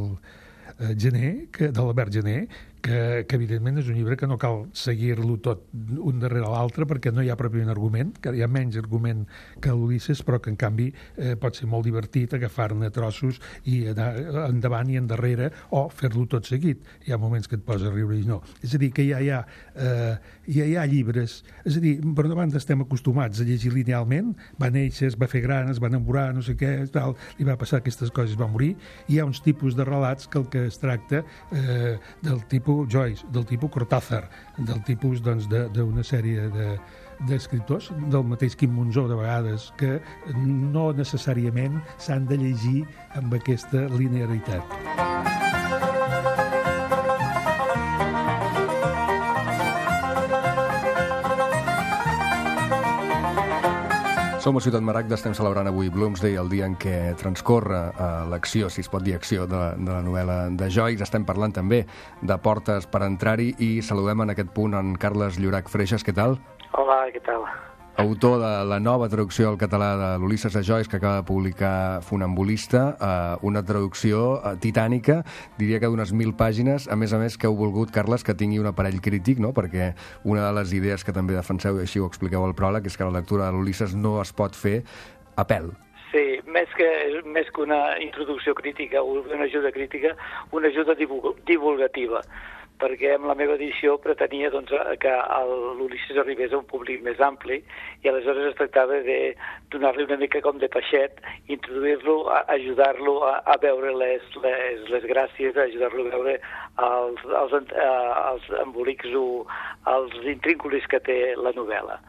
G: eh, gener, que, de l'Albert Gener, que, que evidentment és un llibre que no cal seguir-lo tot un darrere l'altre perquè no hi ha pròpiament argument, que hi ha menys argument que l'Ulisses, però que en canvi eh, pot ser molt divertit agafar-ne trossos i anar endavant i endarrere o fer-lo tot seguit. Hi ha moments que et posa a riure i no. És a dir, que ja hi ha, eh, ja hi ha llibres, és a dir, per una banda estem acostumats a llegir linealment, va néixer, es va fer gran, es va enamorar, no sé què, tal, li va passar aquestes coses, va morir, i hi ha uns tipus de relats que el que es tracta eh, del tipus Joyce, del tipus Cortázar, del tipus doncs, d'una sèrie de, d'escriptors, del mateix Quim Monzó de vegades, que no necessàriament s'han de llegir amb aquesta linearitat.
A: Som a Ciutat Maragda, estem celebrant avui Bloomsday, el dia en què transcorre eh, l'acció, si es pot dir acció, de, de la novel·la de Joyce. Estem parlant també de portes per entrar-hi i saludem en aquest punt en Carles Llorach Freixas. Què tal?
I: Hola, què tal?
A: Autor de la nova traducció al català de l'Ulisses de Joyce, que acaba de publicar Funambulista, eh, una traducció eh, titànica, diria que d'unes mil pàgines, a més a més que heu volgut, Carles, que tingui un aparell crític, no?, perquè una de les idees que també defenseu, i així ho expliqueu al pròleg, és que la lectura de l'Ulisses no es pot fer a pèl.
I: Sí, més que, més que una introducció crítica o una ajuda crítica, una ajuda divulg divulgativa, perquè amb la meva edició pretenia doncs, que l'Ulisses arribés a un públic més ampli i aleshores es tractava de donar-li una mica com de peixet, introduir-lo, ajudar-lo a, a veure les, les, les gràcies, ajudar-lo a veure els, els, els embolics o els intrínculis que té la novel·la.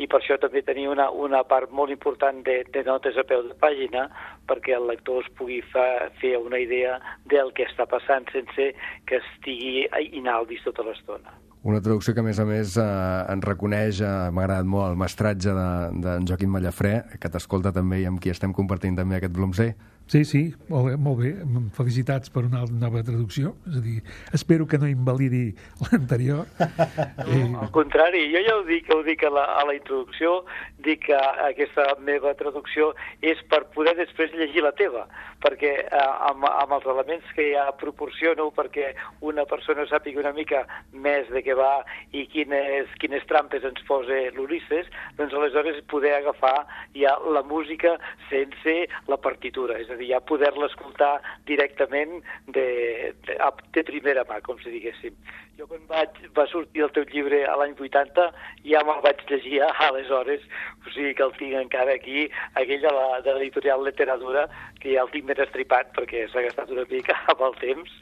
I: I per això també tenia una, una part molt important de, de notes a peu de pàgina perquè el lector es pugui fa, fer una idea del que està passant sense que estigui inaldis tota l'estona.
A: Una traducció que, a més a més, eh, ens reconeix, eh, m'ha agradat molt, el mestratge d'en de, de Joaquim Mallafrè, que t'escolta també i amb qui estem compartint també aquest Bloomsday.
G: Sí, sí, molt bé, molt bé. Felicitats per una nova traducció. És a dir, espero que no invalidi l'anterior.
I: Eh... Al contrari, jo ja ho dic, ho dic a la, a la introducció, dic que aquesta meva traducció és per poder després llegir la teva, perquè eh, amb, amb els elements que ja proporciono perquè una persona sàpiga una mica més de què va i quines, quines trampes ens posa l'Ulisses, doncs aleshores poder agafar ja la música sense la partitura, és a dir, ja poder-la escoltar directament de, de, de primera mà, com si diguéssim. Jo quan vaig, va sortir el teu llibre a l'any vuitanta ja me'l vaig llegir aleshores, o sigui que el tinc encara aquí, aquell de la, de l'editorial Literatura, que ja el tinc ben estripat perquè s'ha gastat una mica amb el temps,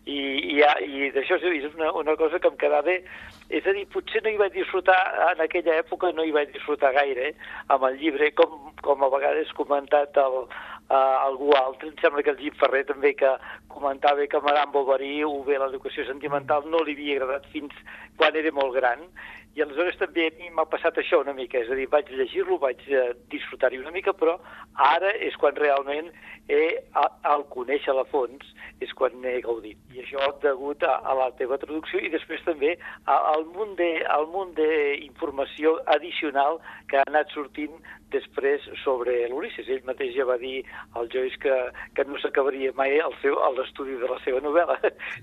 I: i, i, ja, i d'això és una, una cosa que em quedava, és a dir, potser no hi vaig disfrutar, en aquella època no hi vaig disfrutar gaire, eh, amb el llibre, com, com a vegades comentat el, uh, algú altre, em sembla que el Jim Ferrer també, que comentava que Madame Bovary o bé l'educació sentimental no li havia agradat fins quan era molt gran, i aleshores també a mi m'ha passat això una mica, és a dir, vaig llegir-lo, vaig uh, disfrutar-hi una mica, però ara és quan realment he, a, al conèixer a fons és quan n'he gaudit. I això degut a, a la teva traducció i després també a, al munt de, al munt d'informació addicional que ha anat sortint després sobre l'Ulisses. Ell mateix ja va dir al Joyce que, que no s'acabaria mai el seu, l'estudi de la seva novel·la.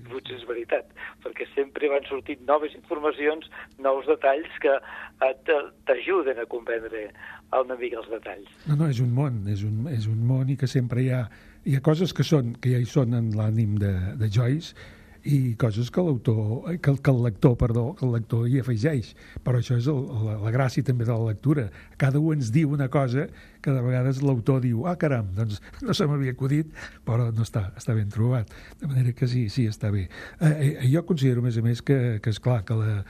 I: Potser és veritat, perquè sempre van sortint noves informacions, nous detalls que t'ajuden a comprendre una mica els detalls.
G: No, no, és un món, és un, és un món i que sempre hi ha, hi ha coses que, són, que ja hi són en l'ànim de, de Joyce i coses que l'autor, que, que el lector, perdó, que el lector hi afegeix. Però això és el, la, la gràcia també de la lectura. Cada un ens diu una cosa que de vegades l'autor diu, ah, caram, doncs no se m'havia acudit, però no està, està ben trobat. De manera que sí, sí, està bé. Eh, eh, jo considero, a més a més, que, que és clar que la,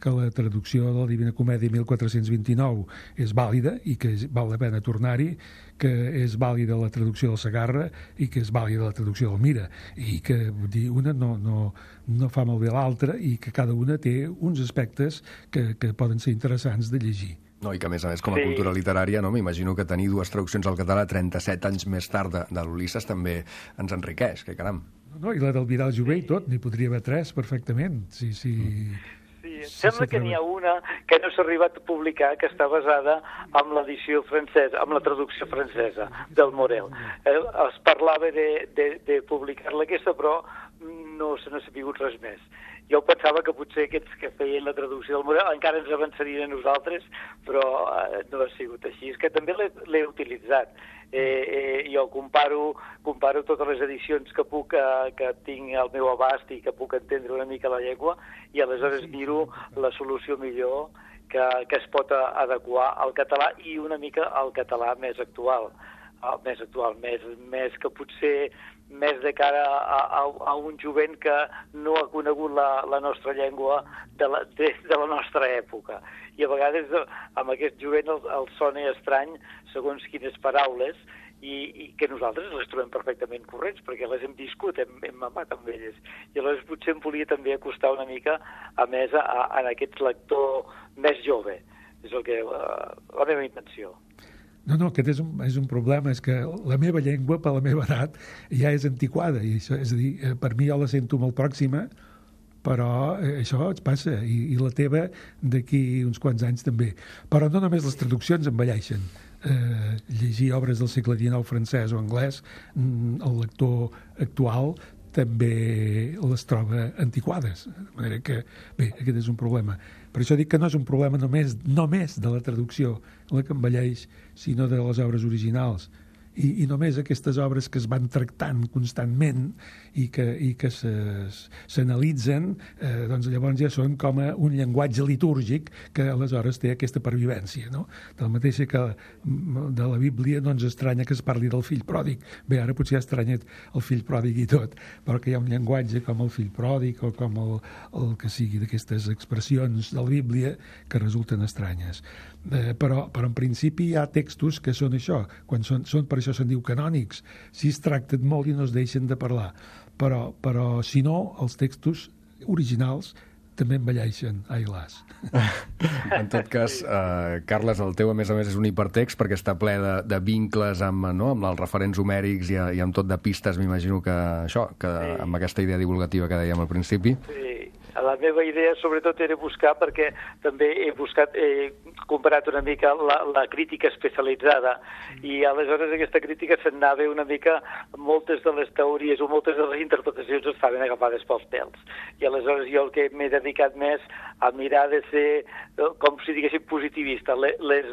G: que la traducció de la Divina Comèdia mil quatre-cents vint-i-nou és vàlida i que val la pena tornar-hi, que és vàlida la traducció del Segarra i que és vàlida la traducció del Mira, i que, vull dir, una no, no, no fa malbé l'altra i que cada una té uns aspectes que, que poden ser interessants de llegir.
A: No, i que a més a més com a sí. cultura literària, no, m'imagino que tenir dues traduccions al català trenta-set anys més tard de, de l'Ulisses també ens enriqueix, que caram.
G: No, no, i la del Vidal Jové i tot, n'hi podria haver tres perfectament, sí, sí.
I: Mm. Sí, em sembla que n'hi ha una que no s'ha arribat a publicar, que està basada en l'edició francesa, amb la traducció francesa del Morel. Eh, es parlava de, de, de publicar-la aquesta, però no se n'ha sabut res més. Jo pensava que potser aquests que feien la traducció del Morel encara ens avançarien a nosaltres, però eh, no ha sigut així. És que també l'he utilitzat. Eh, eh, jo comparo, comparo totes les edicions que puc, eh, que tinc al meu abast i que puc entendre una mica la llengua, i aleshores miro la solució millor que, que es pot adequar al català i una mica al català més actual, uh, més actual, més, més que potser més de cara a, a, a un jovent que no ha conegut la, la nostra llengua de la, de, de la nostra època. I a vegades amb aquest jovent el, el sona estrany segons quines paraules i, i que nosaltres les trobem perfectament corrents perquè les hem viscut, hem, hem mamat amb elles. I aleshores potser em volia també acostar una mica a més a, a, a aquest lector més jove. És el que, la, la meva intenció.
G: No, no, aquest és un, és un problema, és que la meva llengua, per la meva edat, ja és antiquada, i això, és a dir, per mi jo la sento molt pròxima, però això et passa, i, i la teva d'aquí uns quants anys també. Però no només les traduccions envelleixen. Eh, llegir obres del segle dinou francès o anglès, el lector actual també les troba antiquades. De manera que, bé, aquest és un problema. Per això dic que no és un problema només, només de la traducció, la que envelleix, sinó de les obres originals. I, i només aquestes obres que es van tractant constantment i que, i que s'analitzen, eh, doncs llavors ja són com a un llenguatge litúrgic que aleshores té aquesta pervivència, no? De la mateixa que de la Bíblia no ens estranya que es parli del fill pròdig. Bé, ara potser ha estranyat el fill pròdig i tot, però que hi ha un llenguatge com el fill pròdig o com el, el que sigui d'aquestes expressions de la Bíblia que resulten estranyes. Eh, però, però en principi hi ha textos que són això, quan són, són per això se'n diu canònics, si es tracten molt i no es deixen de parlar, però, però si no, els textos originals també envelleixen, ai las.
A: En tot cas, eh, Carles, el teu a més a més és un hipertext perquè està ple de, de vincles amb, no, amb els referents homèrics i, i amb tot de pistes, m'imagino que això, que sí. Amb aquesta idea divulgativa que dèiem al principi.
I: Sí. La meva idea, sobretot, era buscar, perquè també he buscat, he comparat una mica la, la crítica especialitzada, i aleshores aquesta crítica s'anava una mica, moltes de les teories o moltes de les interpretacions estaven agafades pels pèls. I aleshores jo el que m'he dedicat més a mirar de ser, com si diguéssim, positivista. Les, les,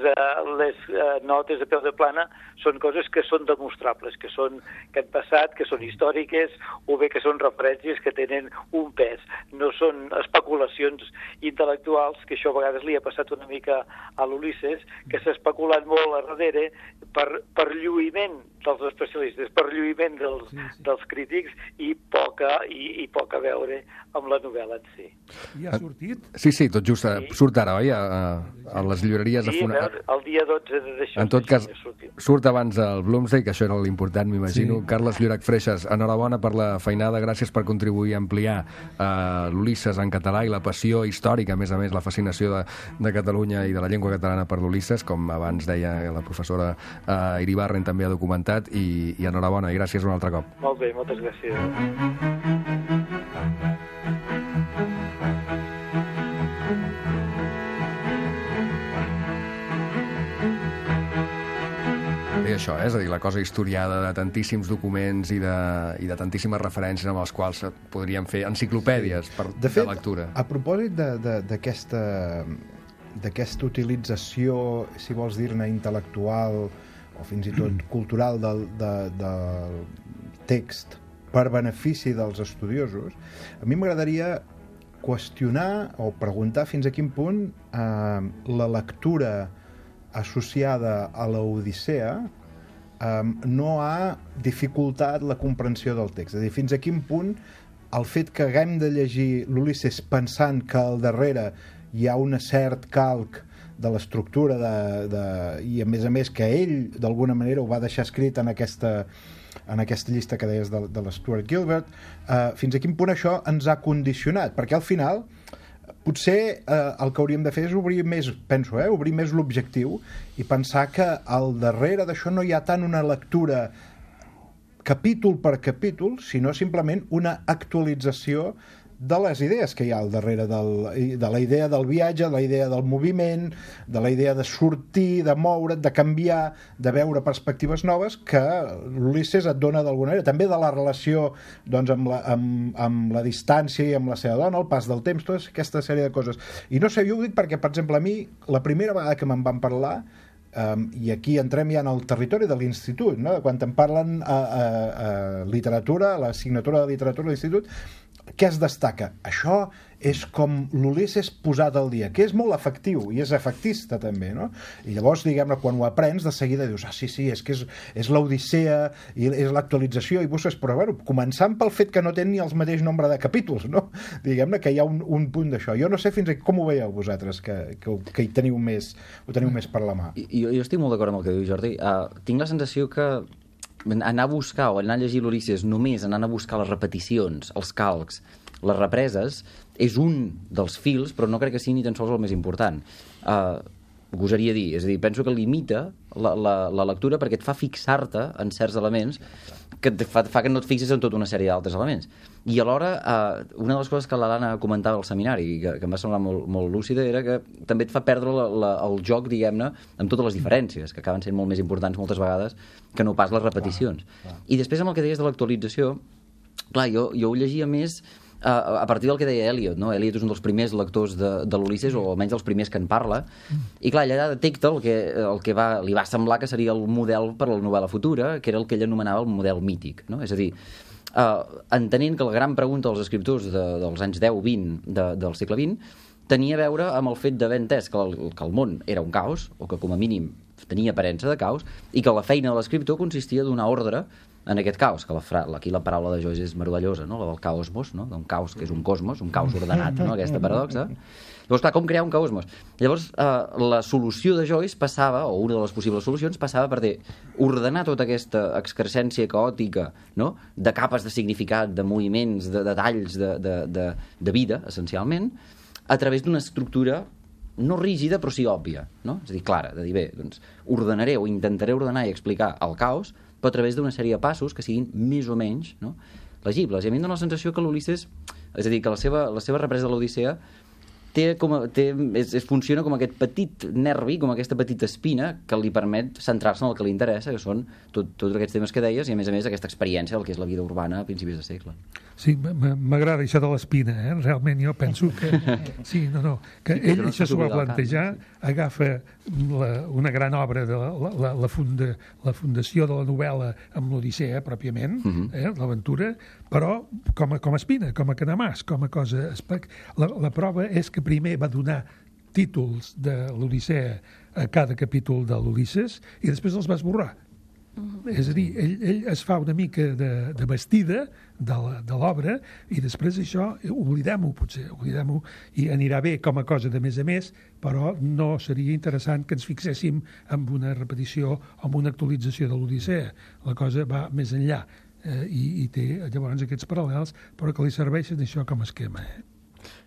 I: les notes de peu de plana són coses que són demostrables, que, són, que han passat, que són històriques, o bé que són referències que tenen un pes. No són especulacions intel·lectuals, que això a vegades li ha passat una mica a l'Ulisses, que s'ha especulat molt a darrere per, per lluïment dels especialistes, per lluïment dels, sí, sí. dels crítics i poca, i, i poca a veure amb la novel·la en si.
G: I ha sortit?
A: Sí, sí, tot just sí. Surt ara, oi? A, a les llibreries.
I: Sí,
A: a funa...
I: el dia dotze de d'això.
A: En tot cas, surt abans el Bloomsday, que això era l'important, m'imagino. Sí. Carles Llorach Freixas, enhorabona per la feinada, gràcies per contribuir a ampliar uh, l'Ulisses en català i la passió històrica, a més a més, la fascinació de, de Catalunya i de la llengua catalana per l'Ulisses, com abans deia la professora uh, Iribarren també ha documentat, i, i enhorabona, i gràcies un altre cop.
I: Molt bé, moltes gràcies.
A: I això, eh? És a dir, la cosa historiada de tantíssims documents i de, i de tantíssimes referències amb els quals podríem fer enciclopèdies per, de, fet, de lectura.
F: A propòsit d'aquesta d'aquesta utilització, si vols dir-ne, intel·lectual o fins i tot cultural del, de, del text per benefici dels estudiosos, a mi m'agradaria qüestionar o preguntar fins a quin punt eh, la lectura associada a l'Odissea um, no ha dificultat la comprensió del text. És a dir, fins a quin punt el fet que haguem de llegir l'Ulisses pensant que al darrere hi ha un cert calc de l'estructura de, de, i a més a més que ell d'alguna manera ho va deixar escrit en aquesta, en aquesta llista que deies de, de l'Stuart Gilbert, uh, fins a quin punt això ens ha condicionat, perquè al final potser eh, el que hauríem de fer és obrir més, penso, eh, obrir més l'objectiu i pensar que al darrere d'això no hi ha tant una lectura capítol per capítol, sinó simplement una actualització de les idees que hi ha al darrere del, de la idea del viatge, de la idea del moviment, de la idea de sortir, de moure't, de canviar, de veure perspectives noves que l'Ulisses et dona d'alguna manera. També de la relació doncs, amb, la, amb, amb la distància i amb la seva dona, el pas del temps, tota aquesta sèrie de coses. I no sé, jo ho dic perquè, per exemple, a mi, la primera vegada que me'n van parlar, Um, i aquí entrem ja en el territori de l'institut, no? Quan em parlen a, a, a literatura, a l'assignatura de literatura de l'institut, què es destaca? Això és com l'Ulisses posat al dia, que és molt efectiu i és efectista també, no? I llavors, diguem-ne, quan ho aprens, de seguida dius, ah, sí, sí, és que és, és l'Odissea i és l'actualització i busques, però bueno, començant pel fet que no té ni el mateix nombre de capítols, no? Diguem-ne que hi ha un, un punt d'això. Jo no sé fins a com ho veieu vosaltres, que, que, que hi teniu més, ho teniu més per la mà.
D: Jo, jo estic molt d'acord amb el que diu Jordi. Uh, tinc la sensació que anar a buscar o anar a llegir l'Ulisses només anant a buscar les repeticions, els calcs, les represes, és un dels fils, però no crec que sigui ni tan sols el més important. Uh, gosaria dir, és a dir, penso que limita la, la, la lectura perquè et fa fixar-te en certs elements que et fa, fa que no et fixis en tota una sèrie d'altres elements. I alhora, uh, una de les coses que l'Alana comentava al seminari, que, que em va semblar molt, molt lúcida, era que també et fa perdre la, la, el joc, diguem-ne, amb totes les diferències, que acaben sent molt més importants moltes vegades que no pas les repeticions. Clar, clar. I després, amb el que deies de l'actualització, clar, jo, jo ho llegia més Uh, a partir del que deia Eliot, no? Eliot és un dels primers lectors de, de l'Ulisses, o almenys els primers que en parla, i clar, allà detecta el que, el que va, li va semblar que seria el model per a la novel·la futura, que era el que ell anomenava el model mític, no? És a dir, uh, entenent que la gran pregunta dels escriptors de, dels anys deu vint de, del segle vint tenia a veure amb el fet d'haver entès que el, que el món era un caos, o que com a mínim tenia aparença de caos, i que la feina de l'escriptor consistia a donar ordre en aquest caos, que la fra... aquí la paraula de Joyce és meravellosa, no? La del caosmos, no? Un caos que és un cosmos, un caos ordenat, no? Aquesta paradoxa. Llavors, clar, com crear un caosmos? Llavors, eh, la solució de Joyce passava, o una de les possibles solucions, passava per dir, ordenar tota aquesta excrescència caòtica, no? De capes de significat, de moviments, de detalls de, de, de, de vida, essencialment, a través d'una estructura no rígida, però sí òbvia, no? És a dir, clara, de dir, bé, doncs, ordenaré o intentaré ordenar i explicar el caos, però a través d'una sèrie de passos que siguin més o menys, no, legibles. I a mi em dóna la sensació que l'Ulisses, és a dir, que la seva, la seva represa de l'Odissea té com a, té, és, és, funciona com aquest petit nervi, com aquesta petita espina que li permet centrar-se en el que li interessa, que són tot, tots aquests temes que deies, i a més a més aquesta experiència del que és la vida urbana a principis de segle.
G: Sí, m'agrada això de l'espina, eh? Realment jo penso que... Sí, no, no, que ell no això s'ho va plantejar, agafa la, una gran obra de la, la, la, funda, la fundació de la novel·la amb l'Odissea, pròpiament, uh-huh. eh? L'aventura, però com a, com a espina, com a canamàs, com a cosa... La, la prova és que primer va donar títols de l'Odissea a cada capítol de l'Ulisses i després els va esborrar. Mm-hmm. És a dir, ell, ell es fa una mica de, de vestida de l'obra i després això oblidem-ho, potser, oblidem-ho, i anirà bé com a cosa de més a més, però no seria interessant que ens fixéssim en una repetició o en una actualització de l'Odissea. La cosa va més enllà eh, i, i té llavors aquests paral·lels, però que li serveixen això com a esquema. Eh?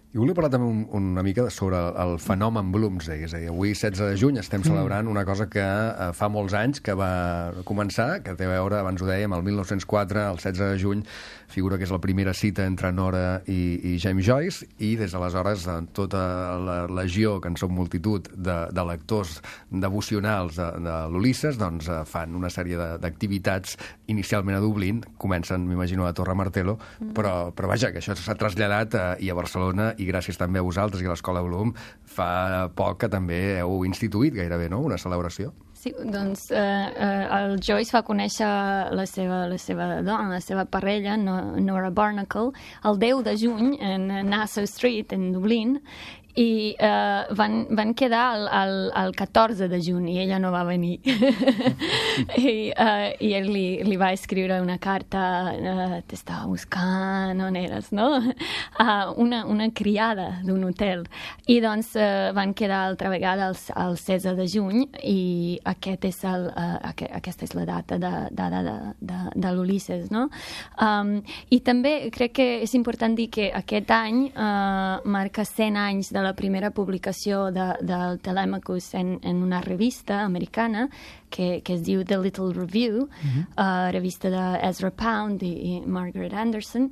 A: I volia parlar també un, una mica sobre el fenomen Bloomsday, és a dir, avui setze de juny estem celebrant una cosa que eh, fa molts anys que va començar, que té a veure, abans ho dèiem, el mil nou-cents quatre, el setze de juny, figura que és la primera cita entre Nora i, i James Joyce, i des d'aleshores tota la legió, que en som multitud, de, de lectors devocionals de, de l'Ulisses, doncs eh, fan una sèrie d'activitats inicialment a Dublín, comencen, m'imagino, a Torre Martello, mm. però, però vaja, que això s'ha traslladat eh, i a Barcelona, i gràcies també a vosaltres i a l'Escola Bloom, fa poc que també heu instituït gairebé, no?, una celebració.
E: Sí, doncs eh, eh, el Joyce va conèixer la seva, la seva dona, la seva parella, Nora Barnacle, el deu de juny en Nassau Street, en Dublín, i eh, van, van quedar el, el, el catorze de juny i ella no va venir. I, eh, i ell li, li va escriure una carta, eh, t'estava buscant, on eres, no? Uh, una, una criada d'un hotel. I doncs eh, van quedar altra vegada el, el setze de juny i aquest és el, uh, aqu aquesta és la data de, de, de, de, de l'Ulisses, no? Um, I també crec que és important dir que aquest any uh, marca cent anys de la primera publicació de, del Telemachus en, en una revista americana que, que es diu The Little Review, uh-huh. uh, revista d'Ezra Pound i, i Margaret Anderson,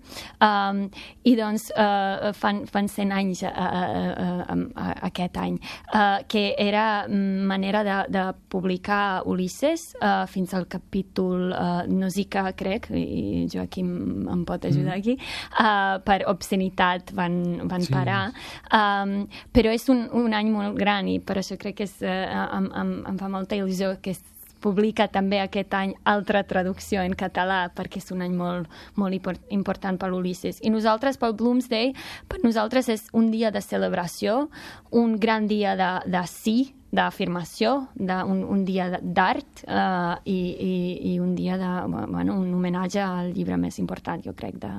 E: um, i doncs uh, fan, fan cent anys uh, uh, uh, uh, aquest any, uh, que era manera de, de publicar Ulisses uh, fins al capítol uh, Nausicaa, crec, i Joaquim em pot ajudar aquí, uh, per obscenitat van, van sí. parar. Um, però és un, un any molt gran i per això crec que és, uh, em, em, em fa molta il·lusió que es publica també aquest any altra traducció en català perquè és un any molt, molt important per l'Ulisses. I nosaltres, pel Bloomsday, per nosaltres és un dia de celebració, un gran dia de, de sí, d'afirmació, un, un dia d'art uh, i, i, i un dia de, bueno, un homenatge al llibre més important, jo crec, de,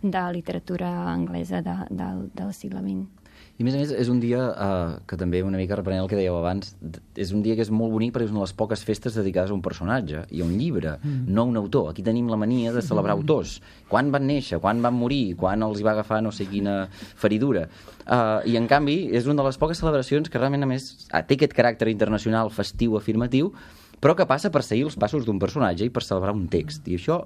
E: de literatura anglesa de, de, del segle vint.
D: I a més a més és un dia uh, que també una mica reprenent el que dèieu abans, és un dia que és molt bonic perquè és una de les poques festes dedicades a un personatge i a un llibre, mm. no a un autor. Aquí tenim la mania de celebrar mm. autors. Quan van néixer, quan van morir, quan els hi va agafar no sé quina feridura. Uh, I en canvi és una de les poques celebracions que realment a més té aquest caràcter internacional, festiu, afirmatiu, però que passa per seguir els passos d'un personatge i per celebrar un text. I això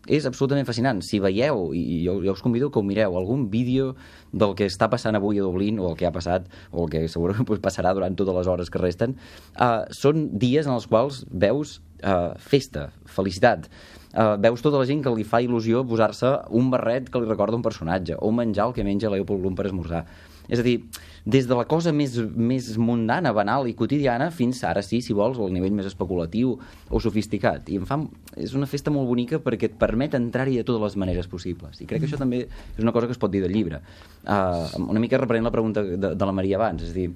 D: és absolutament fascinant. Si veieu, i jo, jo us convido que ho mireu, algun vídeo del que està passant avui a Dublín, o el que ha passat, o el que segurament pues, passarà durant totes les hores que resten, uh, són dies en els quals veus uh, festa, felicitat, uh, veus tota la gent que li fa il·lusió posar-se un barret que li recorda un personatge, o menjar el que menja Leopold Bloom per esmorzar. És a dir, des de la cosa més, més mundana, banal i quotidiana fins ara sí, si vols, al nivell més especulatiu o sofisticat. I em fa, és una festa molt bonica perquè et permet entrar-hi de totes les maneres possibles. I crec que això també és una cosa que es pot dir del llibre. Uh, una mica reprenent la pregunta de, de la Maria abans. És a dir,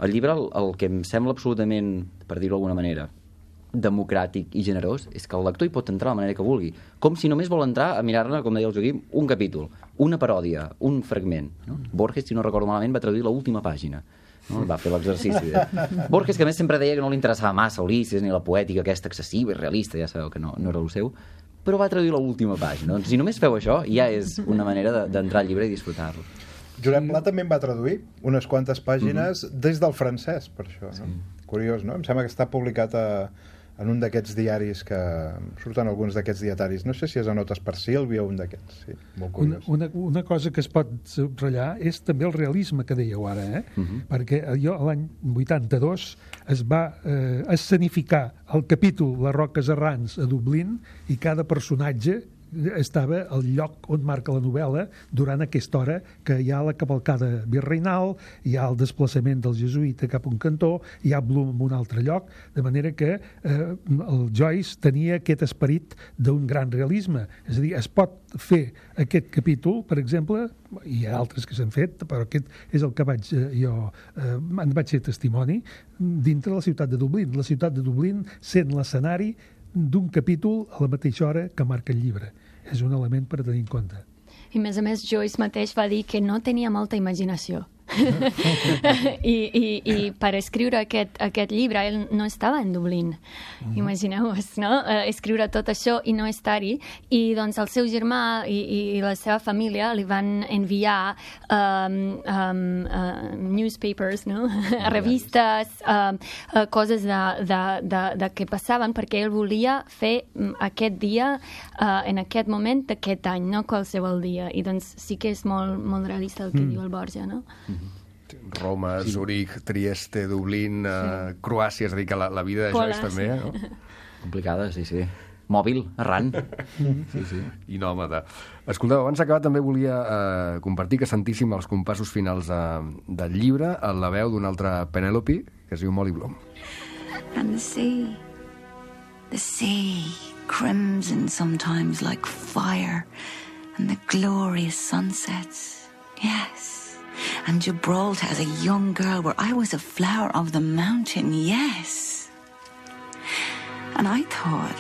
D: el llibre, el, el que em sembla absolutament, per dir-ho d'alguna manera, democràtic i generós, és que el lector hi pot entrar de la manera que vulgui. Com si només vol entrar a mirar-ne, com deia el Joaquim, un capítol, una paròdia, un fragment. No? Borges, si no recordo malament, va traduir l'última pàgina. No? Va fer l'exercici. De... Borges, que a més sempre deia que no li interessava massa Ulisses ni la poètica aquesta excessiva i realista, ja sabeu que no, no era el seu, però va traduir l'última pàgina. Doncs si només feu això, ja és una manera d'entrar al llibre i disfrutar-lo.
F: Josep Pla també en va traduir unes quantes pàgines mm-hmm. des del francès, per això. No? Sí. Curiós, no? Em sembla que està publicat a, en un d'aquests diaris que surten alguns d'aquests dietaris. No sé si és a Notes per Sílvia o un d'aquests. Sí, molt curiós.
G: Una, una, una cosa que es pot subratllar és també el realisme que dèieu ara, eh? Uh-huh. Perquè jo l'any vuitanta-dos es va eh, escenificar el capítol Les Roques Errants a Dublín i cada personatge estava al lloc on marca la novel·la durant aquesta hora que hi ha la cavalcada virreinal, hi ha el desplaçament del jesuïta cap a un cantó, hi ha Bloom en un altre lloc, de manera que eh, el Joyce tenia aquest esperit d'un gran realisme. És a dir, es pot fer aquest capítol, per exemple, hi ha altres que s'han fet, però aquest és el que vaig, eh, jo eh, en vaig ser testimoni, dintre la ciutat de Dublín. La ciutat de Dublín sent l'escenari d'un capítol a la mateixa hora que marca el llibre. És un element per tenir en compte.
E: I, a més a més, Joyce mateix va dir que no tenia molta imaginació. I, i, i per escriure aquest, aquest llibre ell no estava en Dublín, mm. imagineu-vos, no? Uh, escriure tot això i no estar-hi, i doncs el seu germà i, i la seva família li van enviar um, um, uh, newspapers, no? revistes, uh, uh, coses de, de, de, de què passaven, perquè ell volia fer aquest dia uh, en aquest moment d'aquest any, no qualsevol dia, i doncs sí que és molt, molt realista el que mm. diu el Borja, no?
A: Roma, sí. Zurich, Trieste, Dublín, uh, Croàcia, és a dir, que la, la vida de Joyce també, no?
D: Complicada, sí, sí. Mòbil, errant. Sí, sí.
A: I nòmada. Escolteu, abans d'acabar també volia eh, compartir que sentíssim els compassos finals de, del llibre a la veu d'una altra Penelope, que es diu Molly Bloom.
C: And the sea, the sea, crimson sometimes like fire, and the glorious sunsets, yes. And Gibraltar as a young girl where I was a flower of the mountain, yes. And I thought,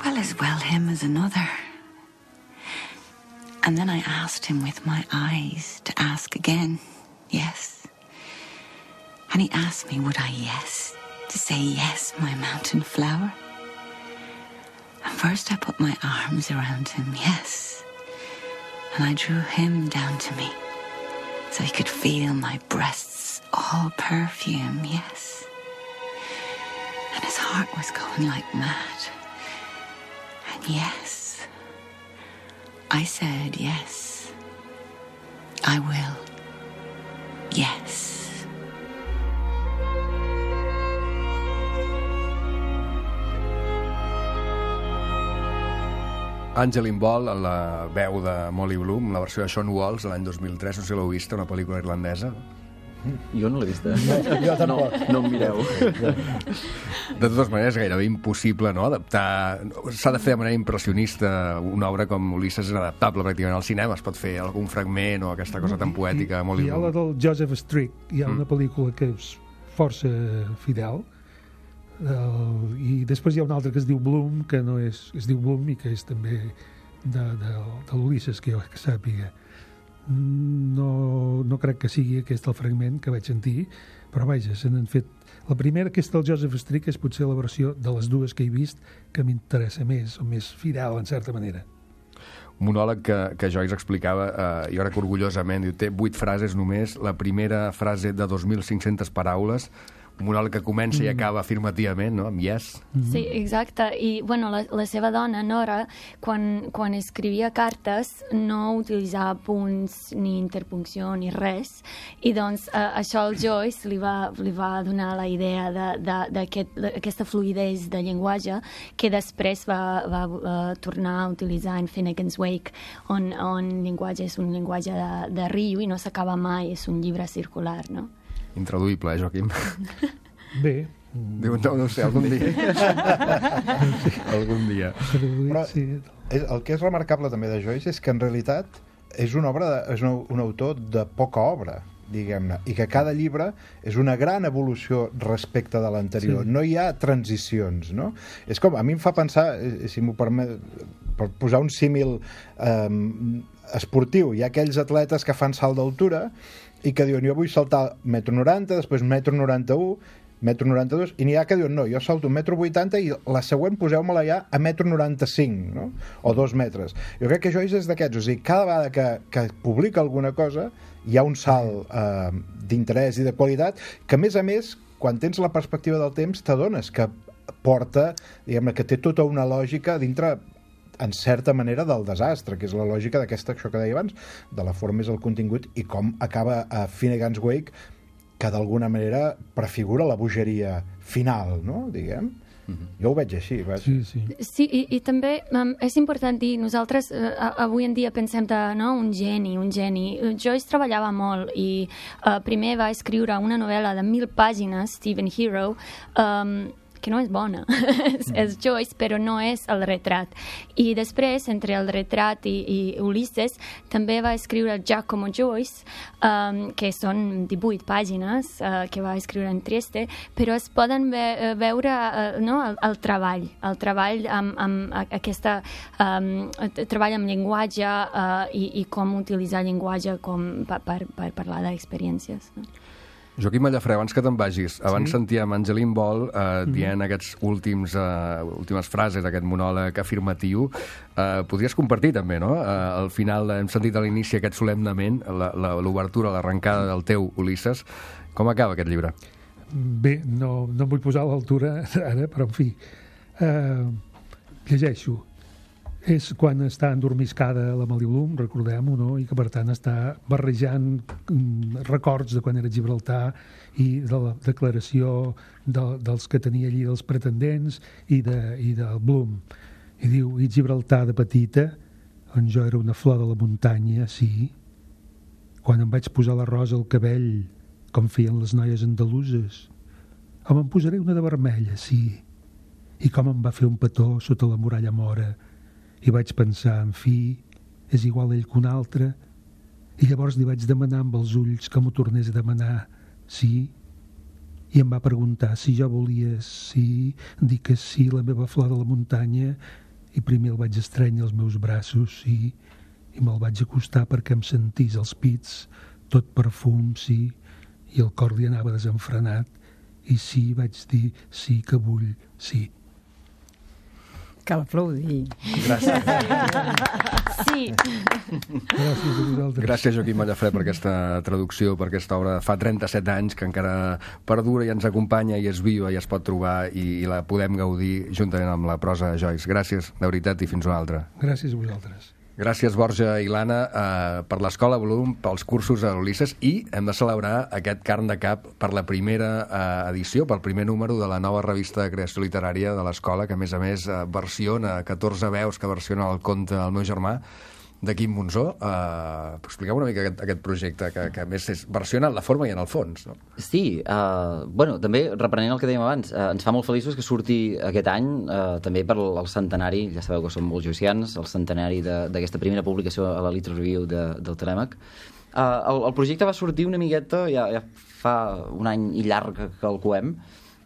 C: well, as well him as another. And then I asked him with my eyes to ask again, yes. And he asked me, would I yes, to say yes, my mountain flower? And first I put my arms around him, yes. And I drew him down to me, so he could feel my breasts all perfume, yes. And his heart was going like mad. And yes, I said yes. I will. Yes.
A: Angeline Ball, la veu de Molly Bloom, la versió de Sean Walsh de l'any dos mil tres, no sé si l'heu vista, una pel·lícula irlandesa.
D: Jo no l'he vista.
F: No, jo tampoc.
D: No, no em mireu.
A: De totes maneres, gairebé impossible, no?, adaptar... S'ha de fer de manera impressionista. Una obra com Ulisses és inadaptable pràcticament al cinema. Es pot fer algun fragment o aquesta cosa tan poètica de Molly
G: Bloom. Hi ha la del Joseph Strick. Hi ha una pel·lícula que és força fidel. Uh, i després hi ha una altra que es diu Bloom, que no és, es diu Bloom i que és també de, de, de l'Ulisses, que jo que sàpiga. No, no crec que sigui aquest el fragment que vaig sentir, però vaja, se n'han fet... La primera, aquesta del Joseph Strick, és potser la versió de les dues que he vist que m'interessa més, o més fidel, en certa manera.
A: Un monòleg que, que Joyce explicava, eh, jo crec que orgullosament, diu, té vuit frases només, la primera frase de dos mil cinc-centes paraules, un monòleg que comença mm. i acaba afirmativament, no?, amb yes.
E: Mm-hmm. Sí, exacte. I, bueno, la, la seva dona, Nora, quan, quan escrivia cartes, no utilitzava punts ni interpuncció ni res, i doncs eh, això al Joyce li va, li va donar la idea d'aquesta aquest, fluidesa de llenguatge que després va, va uh, tornar a utilitzar en Finnegan's Wake, on, on llenguatge és un llenguatge de, de riu i no s'acaba mai, és un llibre circular, no?
A: Intraduïble, eh, Joaquim?
G: Bé.
A: Diu, no, no sé, algun dia. algun dia.
F: Però és, el que és remarcable també de Joyce és que en realitat és una obra de, és un, un autor de poca obra, diguem-ne, i que cada llibre és una gran evolució respecte de l'anterior. Sí. No hi ha transicions, no? És com, a mi em fa pensar, si m'ho permet, per posar un símil eh, esportiu, hi ha aquells atletes que fan salt d'altura i que diuen, jo vull saltar metro noranta, després metro noranta-u, metro noranta-dos, i n'hi ha que diuen, no, jo salto metro vuitanta i la següent poseu-me-la ja a metro noranta-cinc, no? O dos metres. Jo crec que Joyce és d'aquests, o sigui, cada vegada que, que publica alguna cosa hi ha un salt eh, d'interès i de qualitat que, a més a més, quan tens la perspectiva del temps, t'adones que porta, diguem-ne, que té tota una lògica dintre, en certa manera, del desastre, que és la lògica d'aquesta, això que deia abans, de la forma és el contingut, i com acaba a Finnegan's Wake, que d'alguna manera prefigura la bogeria final, no?, diguem. Mm-hmm. Jo ho veig així. Vaig.
G: Sí, sí.
E: Sí, i, i també um, és important dir, nosaltres uh, avui en dia pensem de, no, un geni, un geni. Joyce treballava molt i uh, primer va escriure una novel·la de mil pàgines, Stephen Hero, um, que no és bona. és, és Joyce, però no és el retrat. I després, entre el retrat i, i Ulisses, també va escriure Giacomo Joyce, um, que són divuit pàgines uh, que va escriure en Trieste, però es poden ve veure uh, no, el, el treball, el treball amb, amb aquesta um, treball amb llenguatge uh, i, i com utilitzar llenguatge com per, per, per parlar d'experiències. No?
A: Joaquim Mallafré, abans que te'n vagis, abans
G: Sí.
A: sentíem Angeline Ball eh, dient mm. aquests últims, eh, últimes frases, aquest monòleg afirmatiu. Eh, podries compartir també, no? Eh, al final hem sentit a l'inici aquest solemnament, l'obertura, l'arrencada del teu Ulisses. Com acaba aquest llibre?
G: Bé, no, no em vull posar a l'altura ara, però en fi, eh, llegeixo. És quan està endormiscada la Mali Bloom, recordem-ho, no? I que per tant està barrejant mm, records de quan era a Gibraltar i de la declaració de, dels que tenia allí dels pretendents i, de, i del Bloom. I diu, i Gibraltar de petita, on jo era una flor de la muntanya, sí, quan em vaig posar la rosa al cabell, com feien les noies andaluses, o me'n posaré una de vermella, sí, i com em va fer un petó sota la muralla mora. I vaig pensar, en fi, és igual ell que un altre. I llavors li vaig demanar amb els ulls que m'ho tornés a demanar, sí. I em va preguntar si jo volia, sí, dir que sí, la meva flor de la muntanya. I primer el vaig estrènyer als meus braços, sí, i me'l vaig acostar perquè em sentís els pits, tot perfum, sí, i el cor li anava desenfrenat. I sí, vaig dir, sí que vull, sí.
H: Cal aplaudir.
A: Gràcies.
E: Sí.
G: Gràcies a vosaltres.
A: Gràcies, Joaquim Mallafré, per aquesta traducció, per aquesta obra. Fa trenta-set anys que encara perdura i ens acompanya i és viva i es pot trobar i, i la podem gaudir juntament amb la prosa de Joyce. Gràcies, de veritat, i fins una altra.
G: Gràcies a vosaltres.
A: Gràcies, Borja i l'Anna, eh, per l'Escola Bloom, pels cursos a l'Ulisses, i hem de celebrar aquest Carn de Cap per la primera eh, edició, pel primer número de la nova revista de creació literària de l'Escola, que a més a més eh, versiona catorze veus que versiona el conte El meu germà, de Quim Monzó. Uh, expliqueu una mica aquest, aquest projecte, que, que a més és versiona en la forma i en el fons, no?
D: Sí, uh, bueno, també reprenent el que dèiem abans, uh, ens fa molt feliços que surti aquest any, uh, també per el centenari, ja sabeu que som molt joicians, el centenari d'aquesta primera publicació a la Little Review de, del Telèmac. Uh, el, el projecte va sortir una miqueta, ja, ja fa un any i llarg que calculem,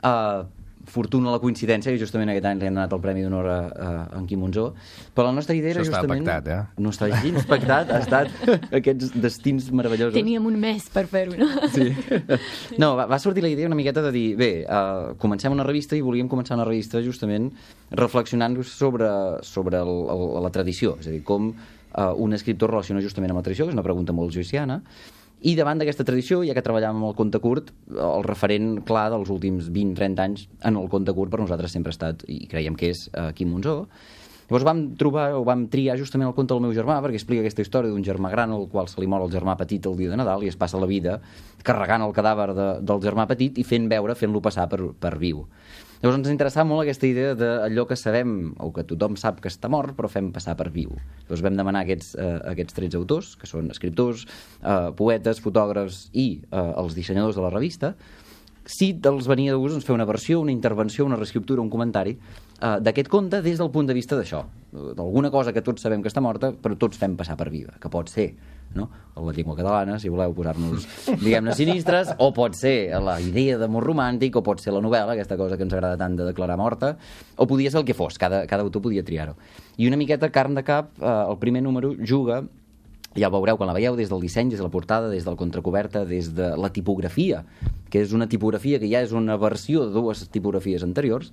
D: uh, fortuna la coincidència, que justament aquest any li hem donat el Premi d'Honor a, a en Quim Monzó, però la nostra idea era
A: Això
D: justament...
A: estava pactat, eh?
D: No està gens pactat, ha estat aquests destins meravellosos.
E: Teníem un mes per fer-ho, no?
D: Sí. No, va, va sortir la idea una miqueta de dir, bé, uh, comencem una revista i volíem començar una revista justament reflexionant sobre, sobre el, el, la tradició, és a dir, com uh, un escriptor relaciona justament amb la tradició, que és una pregunta molt joyciana. I davant d'aquesta tradició, ja que treballàvem amb el conte curt, el referent clar dels últims vint trenta anys en el conte curt per nosaltres sempre ha estat, i creiem que és, uh, Quim Monzó. Llavors vam trobar, o vam triar justament el conte del meu germà, perquè explica aquesta història d'un germà gran al qual se li mor el germà petit el dia de Nadal i es passa la vida carregant el cadàver de, del germà petit i fent veure, fent-lo passar per, per viu. Llavors ens interessava molt aquesta idea d'allò que sabem, o que tothom sap que està mort, però fem passar per viu. Llavors vam demanar aquests, eh, aquests tretze autors, que són escriptors, eh, poetes, fotògrafs i eh, els dissenyadors de la revista, si els venia de gust doncs, fer una versió, una intervenció, una reescriptura, un comentari eh, d'aquest conte des del punt de vista d'això, d'alguna cosa que tots sabem que està morta, però tots fem passar per viva, que pot ser, no?, la llengua catalana, si voleu posar-nos, diguem-ne, sinistres, o pot ser la idea d'amor romàntic, o pot ser la novel·la, aquesta cosa que ens agrada tant de declarar morta, o podia ser el que fos, cada, cada autor podia triar-ho. I una miqueta Carn de Cap, eh, el primer número, juga, ja ho veureu quan la veieu, des del disseny, des de la portada, des del contracoberta, des de la tipografia, que és una tipografia que ja és una versió de dues tipografies anteriors,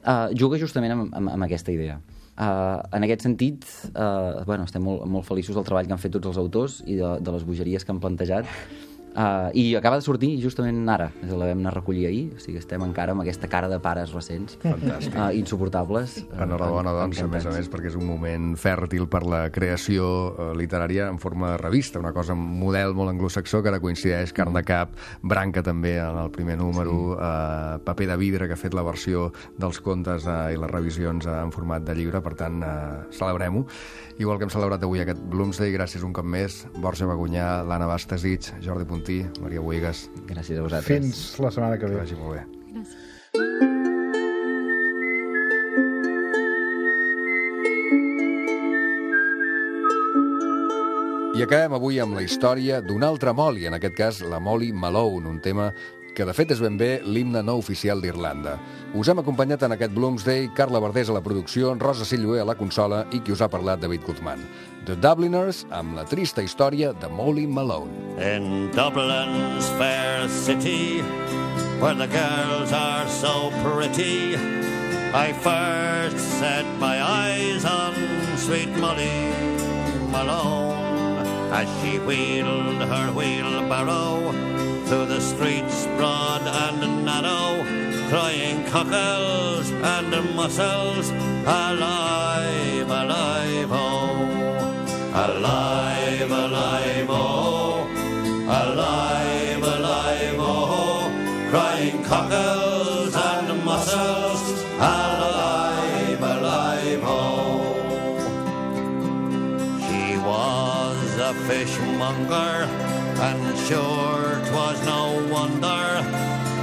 D: eh, juga justament amb, amb, amb aquesta idea. Uh, en aquest sentit, uh, bueno, estem molt, molt feliços del treball que han fet tots els autors i de, de les bogeries que han plantejat. Uh, I acaba de sortir justament ara, la vam anar a recollir ahir, o sigui, estem encara amb aquesta cara de pares recents.
A: Fantàstic.
D: Uh, insuportables.
A: Enhorabona, doncs, a més a més, perquè és un moment fèrtil per la creació uh, literària en forma de revista, una cosa, un model molt anglosaxó que ara coincideix, Carn de Cap, Branca també en el primer número, sí. uh, Paper de vidre, que ha fet la versió dels contes uh, i les revisions uh, en format de llibre, per tant, uh, celebrem-ho. Igual que hem celebrat avui aquest Bloomsday, gràcies un cop més, Borja Bagunyà, l'Anna Bastasich, Jordi Puntí, Maria Boigas.
D: Gràcies a vosaltres.
F: Fins la setmana que ve.
A: Que vagi molt bé.
E: Gràcies.
A: I acabem avui amb la història d'una altra Molly, en aquest cas la Molly Malone, un tema que de fet és ben bé l'himne no oficial d'Irlanda. Us hem acompanyat en aquest Bloomsday, Carla Verdés a la producció, Rosa Silloé a la consola i qui us ha parlat, David Guzmán. The Dubliners, amb la trista història de Molly Malone.
J: In Dublin's fair city, where the girls are so pretty, I first set my eyes on sweet Molly Malone, as she wheeled her wheelbarrow through the streets broad and narrow, crying cockles and mussels, alive, alive, oh, alive, alive, oh, alive, alive, oh, crying cockles and mussels, alive, alive, oh. She was a fishmonger, and sure 'twas no wonder,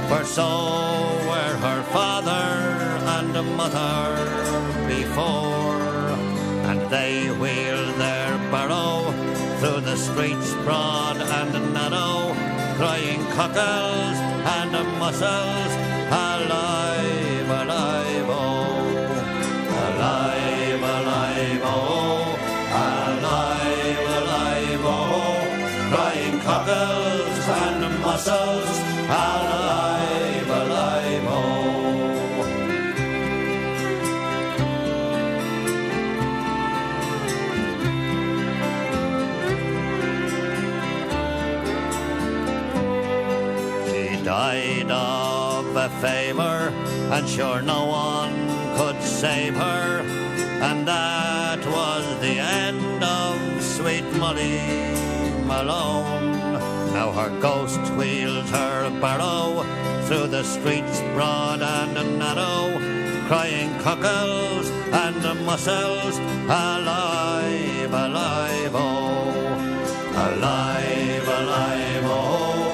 J: for so were her father and mother before, and they wheeled their barrow through the streets broad and narrow, crying cockles and mussels, alive, alive, oh, alive, alive, oh, alive, alive, oh, crying cockles and mussels, alive, alive, oh. She died of a fever, and sure no one could save her, and that was the end of sweet Molly Malone. Now her ghost wheels her barrow through the streets broad and narrow, crying cockles and mussels, alive, alive, oh, alive, alive, oh,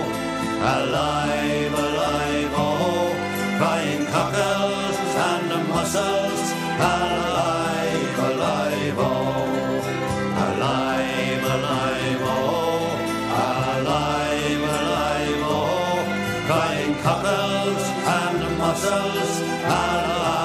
J: alive, alive, oh, crying cockles and mussels, alive, alive, oh, alive, alive, oh, alive, alive, oh, crying cockles and mussels, alive.